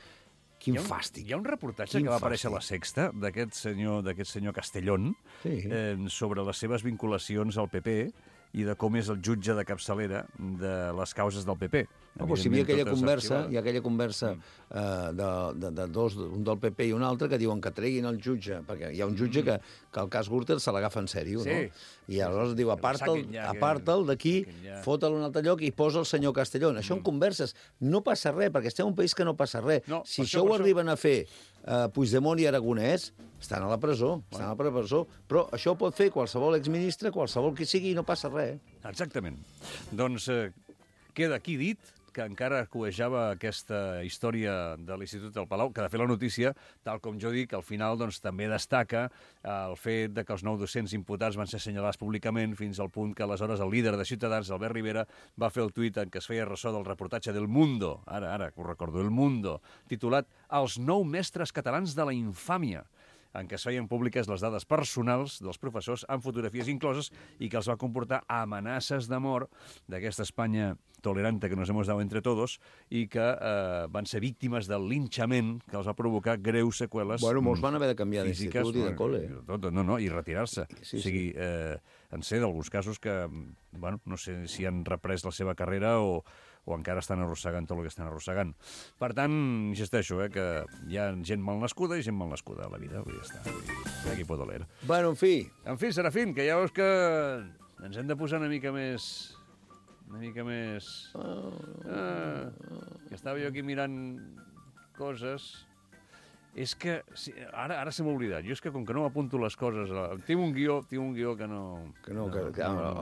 quin fàstic. Hi ha un reportatge que va aparèixer a La Sexta d'aquest senyor Castellón sobre les seves vinculacions al PP i de com és el jutge de capçalera de les causes del PP. Hi havia aquella conversa de dos, un del PP i un altre, que diuen que treguin el jutge, perquè hi ha un jutge que el cas Gürtel se l'agafa en sèrio, no? I aleshores diu, aparta'l d'aquí, fota'l a un altre lloc i posa el senyor Castellón. Això en converses no passa res, perquè estem en un país que no passa res. Si això ho arriben a fer Puigdemont i Aragonès, estan a la presó, però això ho pot fer qualsevol exministre, qualsevol qui sigui, i no passa res. Exactament. Doncs queda aquí dit que encara cuejava aquesta història de l'Institut del Palau, que de fet la notícia, tal com jo dic, al final doncs, també destaca el fet de que els 9 docents imputats van ser assenyalats públicament fins al punt que aleshores el líder de Ciutadans, Albert Rivera, va fer el tuit en què es feia ressò del reportatge del Mundo, ara que ho recordo, El Mundo, titulat Els 9 mestres catalans de la infàmia, en què es feien públiques les dades personals dels professors amb fotografies incloses i que els va comportar amenaces de mort d'aquesta Espanya tolerante que nos hemos dado entre todos i que van ser víctimes del linxament que els va provocar greus seqüeles Bueno, molts van haver de canviar físiques, d'institut i de col·le. I retirar-se. Sí, o sigui, en sé d'alguns casos que, bueno, no sé si han reprès la seva carrera o encara estan arrossegant tot el que estan arrossegant. Per tant, insisteixo, que hi ha gent mal nascuda i gent mal nascuda a la vida. Ja està. Aquí pot doler. Bueno, en fi. En fi, Serafín, que ja veus que ens hem de posar una mica més... que estava jo aquí mirant coses... És que... Sí, ara se m'ha oblidat. Jo és que com que no m'apunto les coses... Tinc un guió que no...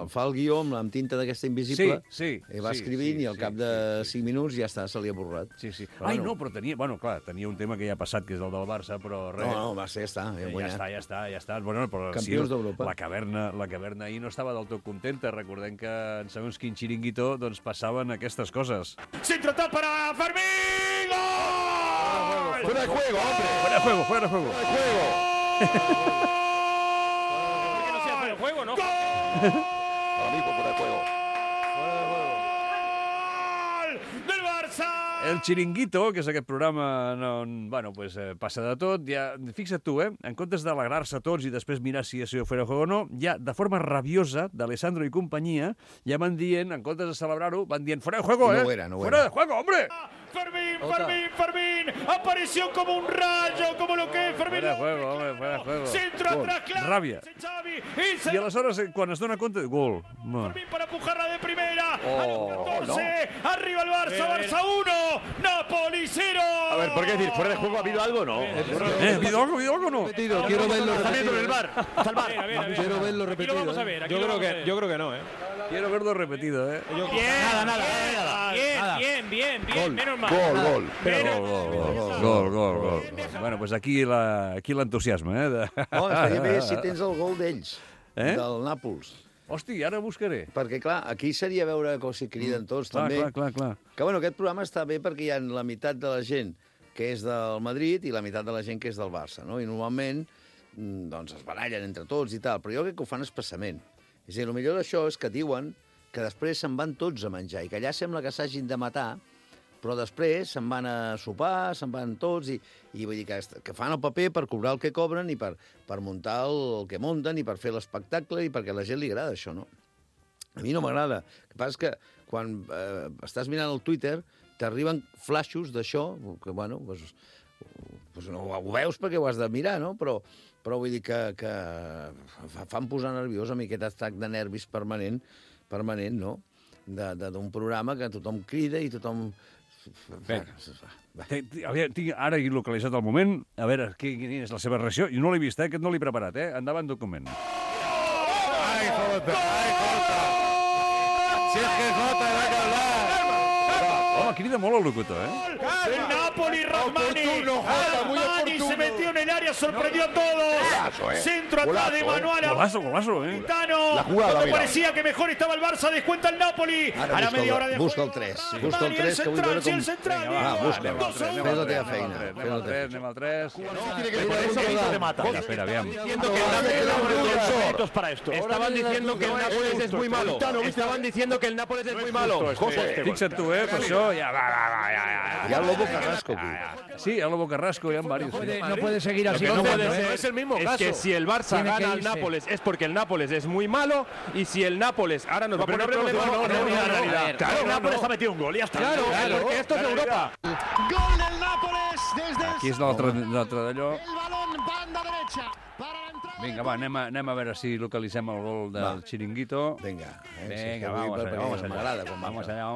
Fa el guió amb tinta d'aquesta invisible sí, i va escrivint i al cap de 5 minuts ja està, se li ha borrat. Sí. Però tenia... Bueno, clar, tenia un tema que ja ha passat, que és el del Barça, però res... No, va ser, ja està. Ja està. Bueno, però campions d'Europa. La caverna ahir no estava del tot contenta. Recordem que en segons quin xiringuito doncs passaven aquestes cosas. Centro tal para Fermín. ¡Gol! ¡Fuera de juego, hombre! ¡Fuera de juego! ¡Fuera de juego! ¿Por qué no sea fuera de juego, no? Ahora mismo fuera de juego. ¡Gol del Barça! El Chiringuito, que és aquest programa on, bueno, pues, passa de tot, ja, fixa't tu, en comptes d'alegrar-se tots i després mirar si això fuera juego o no, ja de forma rabiosa, d'Alessandro i companyia, ja van dient, en comptes de celebrar-ho, van dient, fuera de juego, No era. Fuera de juego, hombre! Fermín, apareció como un rayo, como lo que es Fermín. Fuera de juego, hombre, fuera de juego. Centro atrás, claro. Ràbia. Xavi, I aleshores, quan es dona compte, gol. Fermín para empujarla de primera. Oh, 14, arriba el Barça, Barça 1, Napoli 0. A ver, ¿por qué decir? ¿Fuera de juego ha habido algo o no? ¿Ha habido algo o no? Quiero verlo Está viendo repetido. el bar. Está el bar. Quiero verlo Aquí repetido. lo vamos a ver. Yo creo que no, ¿eh? Quiero verlo repetido, Bien, menos mal. Gol. Gol. Bueno, pues aquí l'entusiasme, No, estaria bé si tens el gol d'ells, del Nàpols. Hosti, ara buscaré. Perquè, clar, aquí seria veure com s'hi criden tots, també. Clar. Que, bueno, aquest programa està bé perquè hi ha la meitat de la gent que és del Madrid i la meitat de la gent que és del Barça, no? I normalment, doncs, es barallen entre tots i tal, però jo crec que ho fan expressament. És a dir, el millor d'això és que diuen que després se'n van tots a menjar i que allà sembla que s'hagin de matar, però després se'n van a sopar, se'n van tots i vull dir que fan el paper per cobrar el que cobren i per muntar el que munten i per fer l'espectacle i perquè a la gent li agrada això, no? A mi no m'agrada. El que passa és que quan estàs mirant el Twitter t'arriben flaixos d'això, que, bueno, doncs no ho veus perquè ho has de mirar, no? Però vull dir que fan posar nerviós a mi aquest atac de nervis permanent, no? D'un programa que tothom crida i tothom... Tinc ara he localitzat el moment, a veure quina és la seva reacció. Jo no l'he vist, aquest no l'he preparat, Endavant, document. ¡Ay, Jota! Si es que Jota va a hablar. Home, crida molt el locutor, El Napoli, Rahmani se metió en el área, sorprendió a todos. Golazo, Centro atrás de Manuel Golazo, Quintano. La jugada, Cuando mira. parecía que mejor estaba el Barça, descuenta el Napoli. A la media hora de busca el juego. 3. Busca el 3, que vull veure com... El central. Va, busca. Fes la teva feina. Anem al 3. Tiene que poner eso que te mata. Espera, aviam. Diciendo que el Nápoles para esto. Estaban diciendo que el Nápoles es muy malo. Estaban diciendo que el Nápoles es muy malo. Fixa't tu, per això ja va. Hi ha el Lobo Carrasco aquí. Sí, el Lobo Carrasco, hi ha varios. No puede seguir así. No puede ser. Es el mismo caso. Es que si el Barça Tiene que gana al irse. Nápoles es porque el Nápoles es muy malo y si el Nápoles ahora nos va a poner problemas. Claro, el Nápoles ha metido un gol y ya está. Claro, porque esto es Europa. Gol del Nápoles desde Aquí és l'altre d'allò. el balón banda derecha para la entrada. Vinga, va, anem a veure si localitzem el gol del Chiringuito. Vinga, vamos allá. M'agrada quan Vamos allá.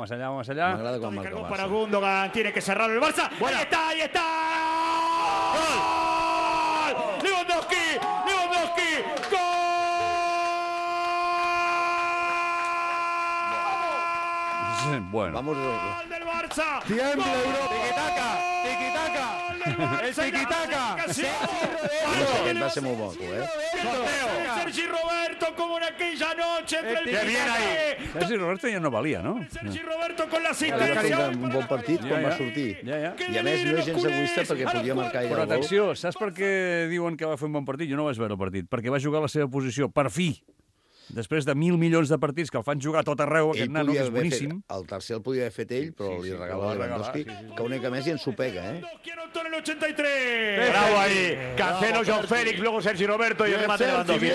M'agrada quan marca el Cargó para Barça. Gundogan, tiene que cerrarlo el Barça. Ahí está. ¡Gol! Lewandowski. ¡Gol! Bueno. Vamos. ¡Gol del Barça. Tiembla Europa. Tiquitaca. El tiquitaca. Aquest va ser molt bo, Sergi Roberto, como en aquella noche entre el Qué bien ahí. Sergi Roberto ja no valia, no? Sergi Roberto con la Va fer asistencia. un bon partit quan va sortir. I a més no és gens egoista perquè podia marcar ell Però el gol. atenció, saps per què diuen que va fer un bon partit? Jo no vaig veure el partit. Perquè va jugar a la seva posició, per fi. Després de 1.000 milions de partits que el fan jugar a tot arreu, aquest nano, que és boníssim. El tercer el podia haver fet ell, però li regala Lewandowski, que una mica més i ens ho pega, En el 83. Bravo ahí. Cancelo, João Félix, luego Sergi Roberto y el remate de Lewandowski.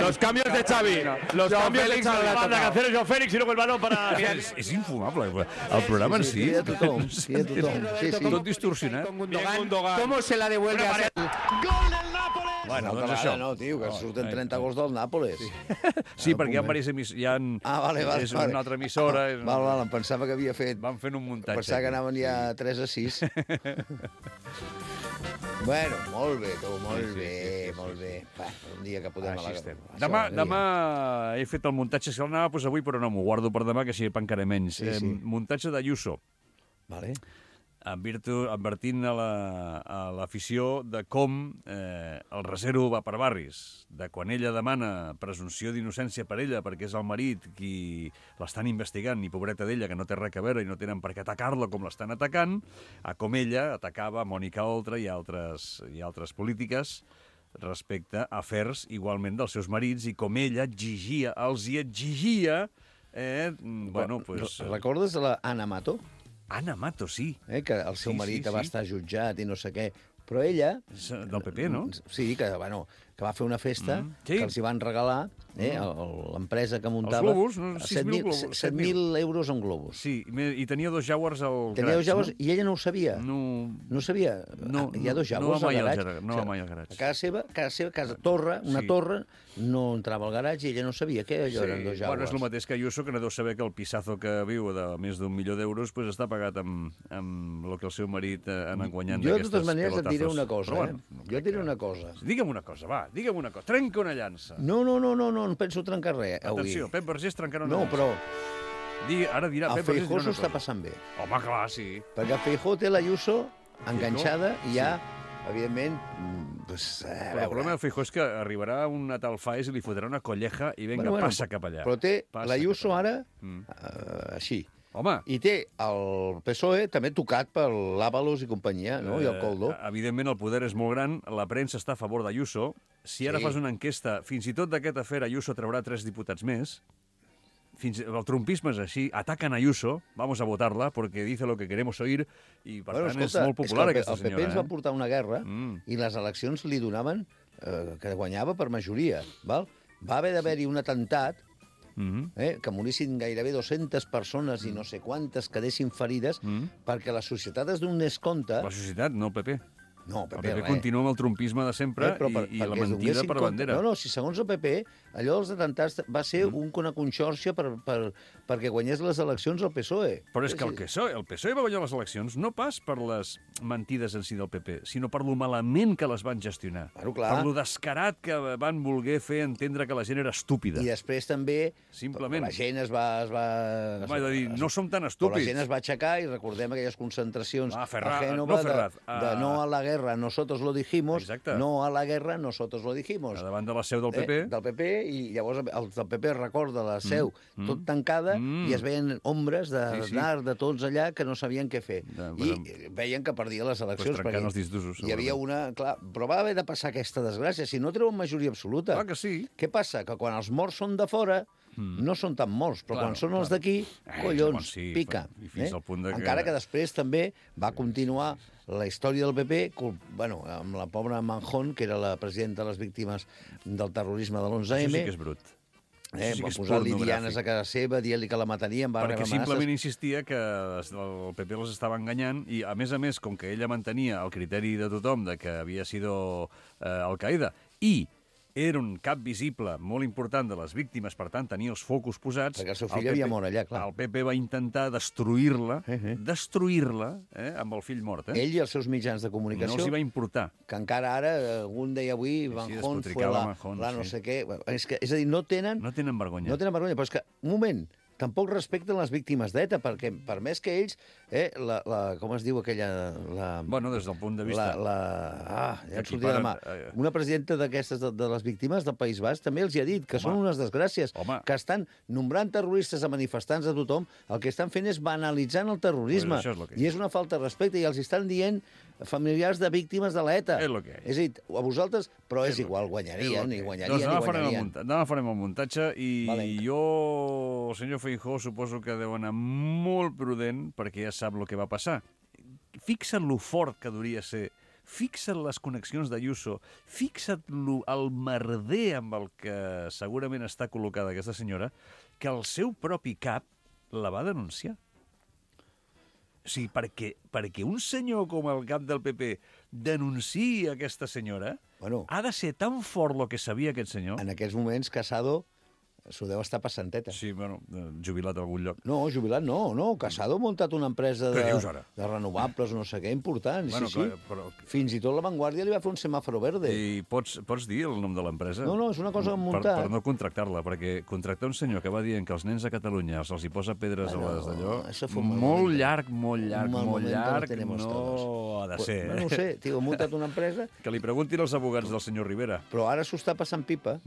Los cambios de Xavi. Los cambios de Xavi. Manda Cancelo, João Félix y luego el balón para... És infumable. El programa en si. Tot distorsionat. ¿Cómo se la devuelve a Sergi? Gol del Nápoles. Bueno, Una doncs altra això. vegada no, tio, que surten 30 gols del Nàpoles. Sí, perquè hi ha diverses emissores. Vale. És una altra emissora. Val, em pensava que havia fet... Van fent un muntatge. Pensava que anaven ja 3-6. Bueno, molt bé, tu, molt bé. Va, un dia que podem... Així estem. Demà he fet el muntatge, si l'anava a posar avui, però no, m'ho guardo per demà, que així pencaré menys. Muntatge d'Ayuso. Vale. Advertint a l'afició de com el resero va per barris, de quan ella demana presumpció d'innocència per ella perquè és el marit qui l'estan investigant i pobreta d'ella que no té res a veure i no tenen per què atacar-la com l'estan atacant, a com ella atacava Mònica Oltra i altres polítiques respecte a afers igualment dels seus marits i com ella els hi exigia Recordes la Ana Mato? Ana Mato, sí. Que el seu marit va estar jutjat i no sé què. Però ella... Del PP, no? Sí, que va fer una festa que els hi van regalar l'empresa que muntava... Els globus, 7.000 euros en globus. Sí, i tenia 2 Jaguars al garatge. Tenia 2 Jaguars i ella no ho sabia. No sabia. Hi ha 2 Jaguars al garatge. No va mai al garatge. A casa torre, una torre, no entrava al garatge i ella no sabia que allò eren 2 Jaguars. Bueno, és el mateix que Ayuso, que no deu saber que el pissazo que viu de més d'1 milió d'euros està pagat amb el que el seu marit ha anat guanyant d'aquestes pelotazos. Jo, de totes maneres, et diré una cosa. Jo et diré una cosa. Digue'm una cosa, va, digue'm una cosa. Trenca una llança. No penso trencar res avui. Atenció, Pep Vergés trencarà una llança. No, però... Ara dirà Pep Vergés... El Feijó s'ho està passant bé. Home, clar, sí. Perquè el Feijó té l'Ayuso enganxada i ja, evidentment... Però el problema del Feijó és que arribarà una tal Faes i li fotrà una colleja i vinga, passa cap allà. Però té l'Ayuso ara així. Home. I té el PSOE també tocat per l'Ábalos i companyia, no? I el Coldo. Evidentment, el poder és molt gran, la premsa està a favor d'Ayuso. Si ara fas una enquesta, fins i tot d'aquest afer Ayuso traurà 3 diputats més. El trumpisme és així, atacan a Ayuso, vamos a votarla, porque dice lo que queremos oír, i per tant és molt popular aquesta senyora. El PP ens va portar una guerra i les eleccions li donaven que guanyava per majoria. Val? Va haver d'haver-hi un atemptat que morissin gairebé 200 persones i no sé quantes quedessin ferides perquè la societat es donés compte... La societat, no el PP. No, el PP continua amb el trumpisme de sempre i la mentida per bandera. No, si segons el PP, allò dels atemptats va ser una conxorxa perquè guanyés les eleccions al PSOE. Però és que el PSOE va guanyar les eleccions no pas per les mentides en si del PP, sinó per lo malament que les van gestionar. Claro, clar. Per lo descarat que van voler fer entendre que la gent era estúpida. I després també simplement la gent es va... Home, de dir, no som tan estúpids. Però la gent es va aixecar i recordem aquelles concentracions a Gènova de no a la guerra, nosotros lo dijimos. Exacte. No a la guerra, nosotros lo dijimos. Davant de la seu del PP. Del PP, i llavors el del PP recorda la seu tot tancada i es veien ombres de tots allà que no sabien què fer. I veien que perdia les eleccions. Trencant els disdusos. Hi havia una... Clar, però va haver de passar aquesta desgràcia. Si no treuen majoria absoluta. Clar que sí. Què passa? Que quan els morts són de fora... No són tan molts, però quan són els d'aquí, collons, pica. Encara que després també va continuar la història del PP, amb la pobra Manjón, que era la presidenta de les víctimes del terrorisme de l'11M. Això sí que és brut. Va posar-li dianes a casa seva, dient-li que la matarien, va rebre amenaces. Perquè simplement insistia que el PP les estava enganyant i, a més, com que ella mantenia el criteri de tothom de que havia sido Al-Qaeda i era un cap visible molt important de les víctimes, per tant, tenia els focus posats. Perquè el seu fill havia mort allà, clar. El PP va intentar destruir-la, amb el fill mort. Ell i els seus mitjans de comunicació. No els hi va importar. Que encara ara, algun deia avui, Manjón fue la no sé què. És a dir, no tenen... No tenen vergonya. No tenen vergonya, però és que, un moment, tampoc respecten les víctimes d'ETA, perquè per més que ells, com es diu aquella... Bueno, des del punt de vista... ja et sortia de mà. Una presidenta d'aquestes de les víctimes del País Basc també els hi ha dit que són unes desgràcies, que estan nombrant terroristes a manifestants de tothom, el que estan fent és banalitzant el terrorisme. I és una falta de respecte, i els estan dient familiars de víctimes de l'ETA. És a dir, a vosaltres, però és igual, guanyarien. Demà farem el muntatge i jo, el senyor Feijóo, suposo que deu anar molt prudent perquè ja sap el que va passar. Fixa't lo fort que hauria ser, fixa't les connexions d'Ayuso, fixa't el merder amb el que segurament està col·locada aquesta senyora, que el seu propi cap la va denunciar. O sigui, perquè un senyor com el cap del PP denunciï aquesta senyora, ha de ser tan fort el que sabia aquest senyor. En aquests moments, Casado s'ho deu estar passant teta. Sí, bueno, jubilat a algun lloc. No, jubilat no. Casado ha muntat una empresa de renovables, no sé què, important. Sí. Fins i tot La Vanguardia li va fer un semàforo verde. I pots dir el nom de l'empresa? No, és una cosa muntada. Per no contractar-la, perquè contractar un senyor que va dient que els nens a Catalunya se'ls hi posa pedres a les d'allò, molt llarg, no ha de ser. No ho sé, tio, ha muntat una empresa... Que li preguntin els abogats del senyor Rivera. Però ara s'ho està passant pipa.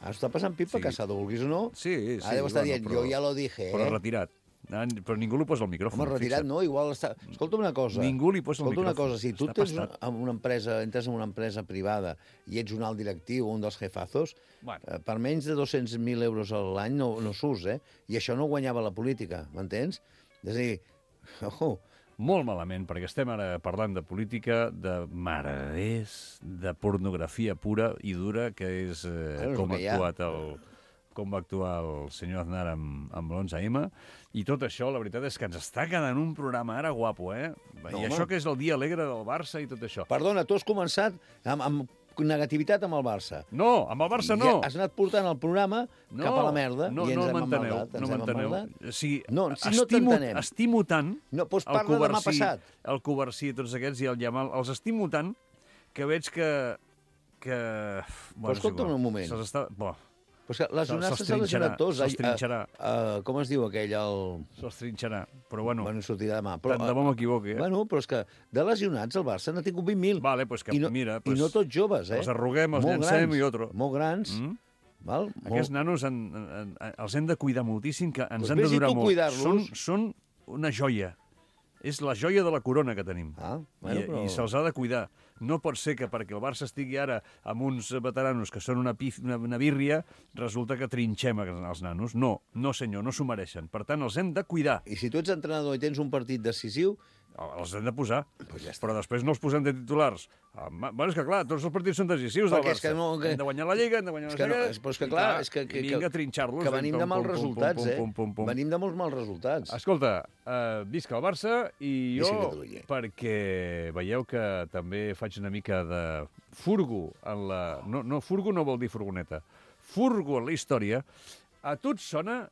Ara s'ho està passant pipa, Casado, vulguis o no. Sí. Ara deu estar dient, jo ja lo dije, Però retirat. Però ningú li posa el micròfon. Home, retirat no, igual està... Escolta una cosa. Ningú li posa el micròfon. Escolta una cosa, si tu entres en una empresa privada i ets un alt directiu, un dels jefazos, per menys de 200.000 euros a l'any no surts, I això no guanyava la política, m'entens? És a dir, molt malament, perquè estem ara parlant de política, de mareders, de pornografia pura i dura, que és com va actuar el senyor Aznar amb l'11M, i tot això, la veritat és que ens està quedant un programa ara guapo, I això que és el dia alegre del Barça i tot això. Perdona, tu has començat amb negativitat amb el Barça. No, amb el Barça no. Has anat portant el programa cap a la merda i ens hem emmaldat. No m'enteneu. Estimo tant el Covarsí i tots aquests i el Yamal, els estimo tant que veig que... Però escolta'm un moment. Però lesionar-se s'ha lesionat tots. Se'ls trinxarà. Com es diu aquell? Se'ls trinxarà, però bueno... Bueno, sortirà demà. Tant de bo m'equivoqui, Bueno, però és que de lesionats el Barça n'ha tingut 20.000. Vale, pues que mira... I no tots joves, Els arruguem, els llancem i otro. Molt grans. Aquests nanos els hem de cuidar moltíssim, que ens han de durar molt. Són una joia. És la joia de la corona que tenim. I se'ls ha de cuidar. No pot ser que perquè el Barça estigui ara amb uns veteranos que són una bírria, resulta que trinxem els nanos. No, senyor, no s'ho mereixen. Per tant, els hem de cuidar. I si tu ets entrenador i tens un partit decisiu... Els hem de posar, però després no els posem de titulars. Bueno, és que clar, tots els partits són decisius del Barça. Hem de guanyar la Lliga, hem de guanyar la Lliga... Però és que clar, vinga a trinxar-los. Que venim de mals resultats, Venim de molts mals resultats. Escolta, visca el Barça i jo, perquè veieu que també faig una mica de furgo en la... No, furgo no vol dir furgoneta. Furgo en la història. A tu et sona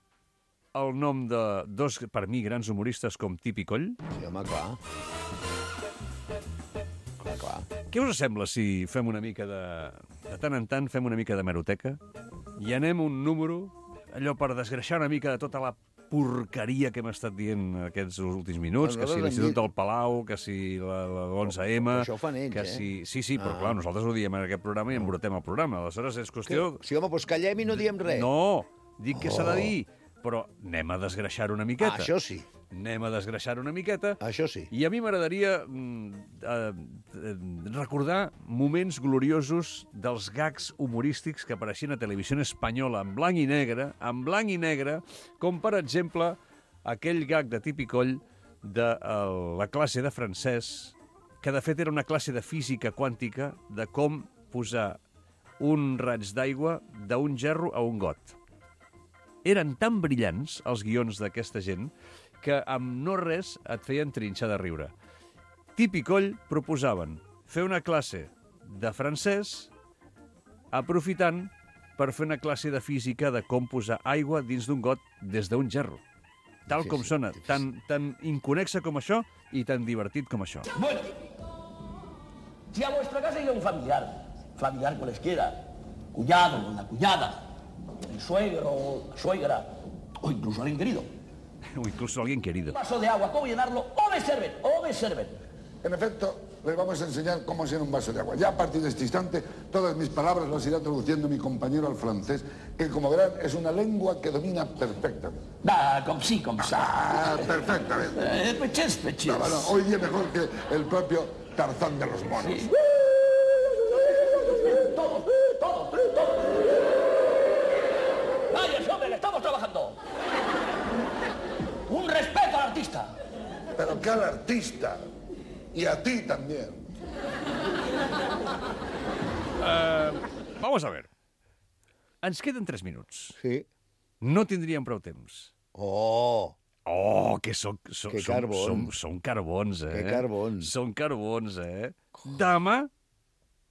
el nom de dos, per mi, grans humoristes com Tip i Coll? Sí, home, clar. Què us sembla si fem una mica de tant en tant, fem una mica de meroteca i anem un número, allò per desgreixar una mica de tota la porqueria que hem estat dient aquests últims minuts, que si l'Institut del Palau, que si l'11M... Això ho fan ells, Sí, però clar, nosaltres ho diem en aquest programa i embrutem el programa. Aleshores és qüestió... Sí, home, doncs callem i no diem res. No, dic que s'ha de dir, però anem a desgreixar una miqueta. Això sí. Anem a desgreixar una miqueta. Això sí. I a mi m'agradaria recordar moments gloriosos dels gags humorístics que apareixien a Televisió Espanyola en blanc i negre, com per exemple aquell gag de Tip i Coll de la classe de francès, que de fet era una classe de física quàntica de com posar un raig d'aigua d'un gerro a un got. Eren tan brillants els guions d'aquesta gent que amb no res et feien trinxar de riure. Tip i Coll proposaven fer una classe de francès aprofitant per fer una classe de física de com posar aigua dins d'un got des d'un gerro. Tal com sona, tan inconexa com això i tan divertit com això. Bueno, si a vuestra casa llega un familiar cualesquiera, cuñado o una cuñada, el suegro o la suegra, o incluso alguien querido. O incluso alguien querido. Un vaso de agua, ¿cómo llenarlo? O me sirven. En efecto, les vamos a enseñar cómo llenar un vaso de agua. Ya a partir de este instante, todas mis palabras las irá traduciendo mi compañero al francés, que como verán es una lengua que domina perfectamente. Comme ça. Perfectamente. Pechés. No, hoy día mejor que el propio Tarzán de los monos. Sí. Todos. ¡Vaya, hombre, le estamos trabajando! Un respeto al artista. Pero que al artista. Y a ti también. Vamos a ver. Ens queden 3 minuts. Sí. No tindríem prou temps. Oh, que som carbons. Som carbons, eh? Que carbons. Som carbons, eh? Demà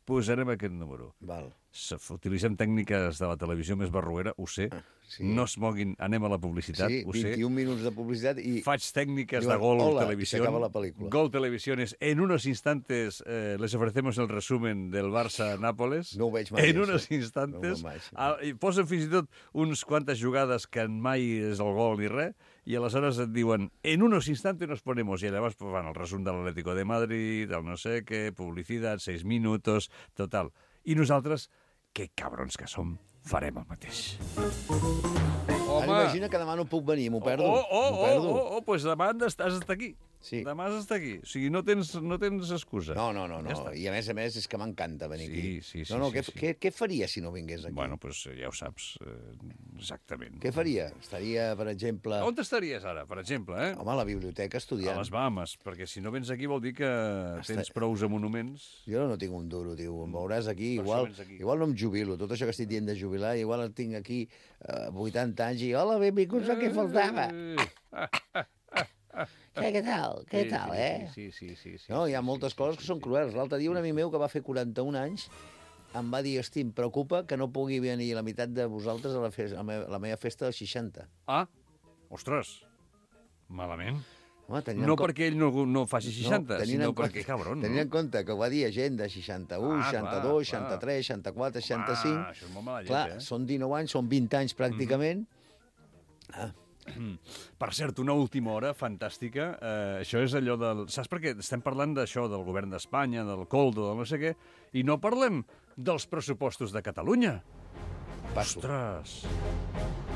posarem aquest número. Val. Utilitzem tècniques de la televisió més barroera, ho sé. Sí. No es moguin, anem a la publicitat, ho sé. 21 minuts de publicitat i... Faig tècniques de Gol Televisión. S'acaba la pel·lícula. Gol Televisiones. En unos instantes les ofrecemos el resumen del Barça-Nápoles. No ho veig mai. En unos instantes. Posen fins i tot uns quantes jugades que mai és el gol ni res, i aleshores et diuen, en unos instantes nos ponemos, i llavors fan el resum de l'Atlético de Madrid, el no sé què, publicitat, 6 minutos, total. I nosaltres, que cabrons que som, farem el mateix. Home. Imagina que demà no puc venir, m'ho perdo. Pues demà has d'estar aquí. Sí. Demà has d'estar aquí. O sigui, no tens excusa. No. Ja I a més és que m'encanta venir aquí. Sí. Què faria si no vingués aquí? Bueno, pues ja ho saps, exactament. Què faria? Estaria, per exemple... On estaries ara, per exemple, eh? Home, a la biblioteca estudiant. A les Bahamas, perquè si no vens aquí vol dir que tens prous a monuments. Jo no tinc un duro, tio. Em veuràs aquí, igual no em jubilo. Tot això que estic dient de jubilar, igual el tinc aquí 80 anys i hola, benvinguts, el que faltava. Què tal, eh? Sí. No, hi ha moltes coses que són cruels. L'altre dia un amic meu que va fer 41 anys em va dir, hosti, em preocupa que no pugui venir la meitat de vosaltres a la meva festa dels 60. Ah, ostres, malament. Home, no perquè ell no faci 60, sinó perquè, cabron. Tenint en compte que ho va dir gent de 61, 62, 63, 64, 65... Això és molt mala llet, clar, són 19 anys, són 20 anys pràcticament. Per cert, una última hora fantàstica. Això és allò del... Saps per què? Estem parlant d'això, del govern d'Espanya, del coldo, del no sé què, i no parlem dels pressupostos de Catalunya. Passo. Ostres!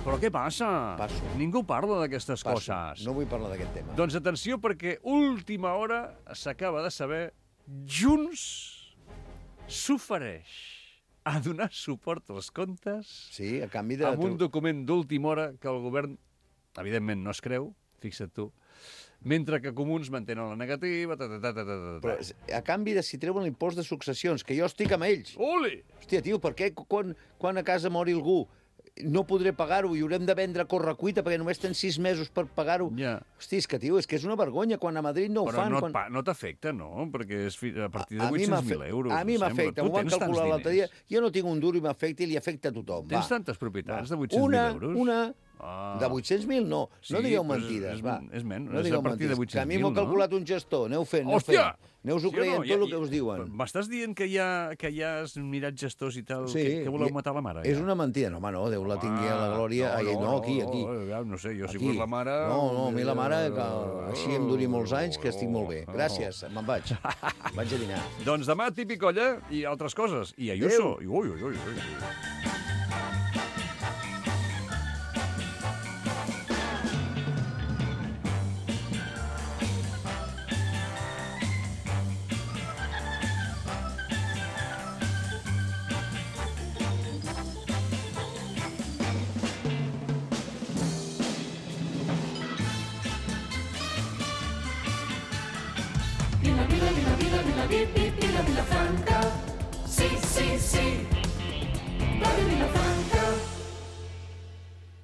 Però què passa? Passo. Ningú parla d'aquestes coses. No vull parlar d'aquest tema. Doncs atenció, perquè última hora s'acaba de saber Junts s'ofereix a donar suport als comptes a canvi de... amb un document d'última hora que el govern, evidentment, no es creu, fixa't tu, mentre que Comuns mantenen la negativa... Però a canvi de si treuen l'impost de successions, que jo estic amb ells. Ole! Hòstia, tio, per què quan a casa mori algú no podré pagar-ho i haurem de vendre a correcuita perquè només tens 6 mesos per pagar-ho? Ja. Hosti, és que és una vergonya quan a Madrid no ho fan. Però no t'afecta, no? Perquè és a partir de 800.000 euros. A mi m'afecta, ho van calcular l'altre dia. Jo no tinc un duro i m'afecta i li afecta a tothom. Tens tantes propietats de 800.000 euros? Una. De 800.000 no. No digueu mentides, va. És menys, no és a partir de 800.000, que a mi m'ho ha calculat un gestor. Aneu fent, aneu-ho creient tot el que us diuen. M'estàs dient que ja has mirat gestors i tal, que voleu matar la mare? És una mentida. No, home, no, Déu la tingui a la glòria. No, aquí. No sé, jo si fos la mare... No, a mi la mare, que així em duri molts anys, que estic molt bé. Gràcies, me'n vaig. Vaig a dinar. Doncs demà, típic olla i altres coses. I Ayuso. Ui. Vila Franca, sí, Radio Vilafranca.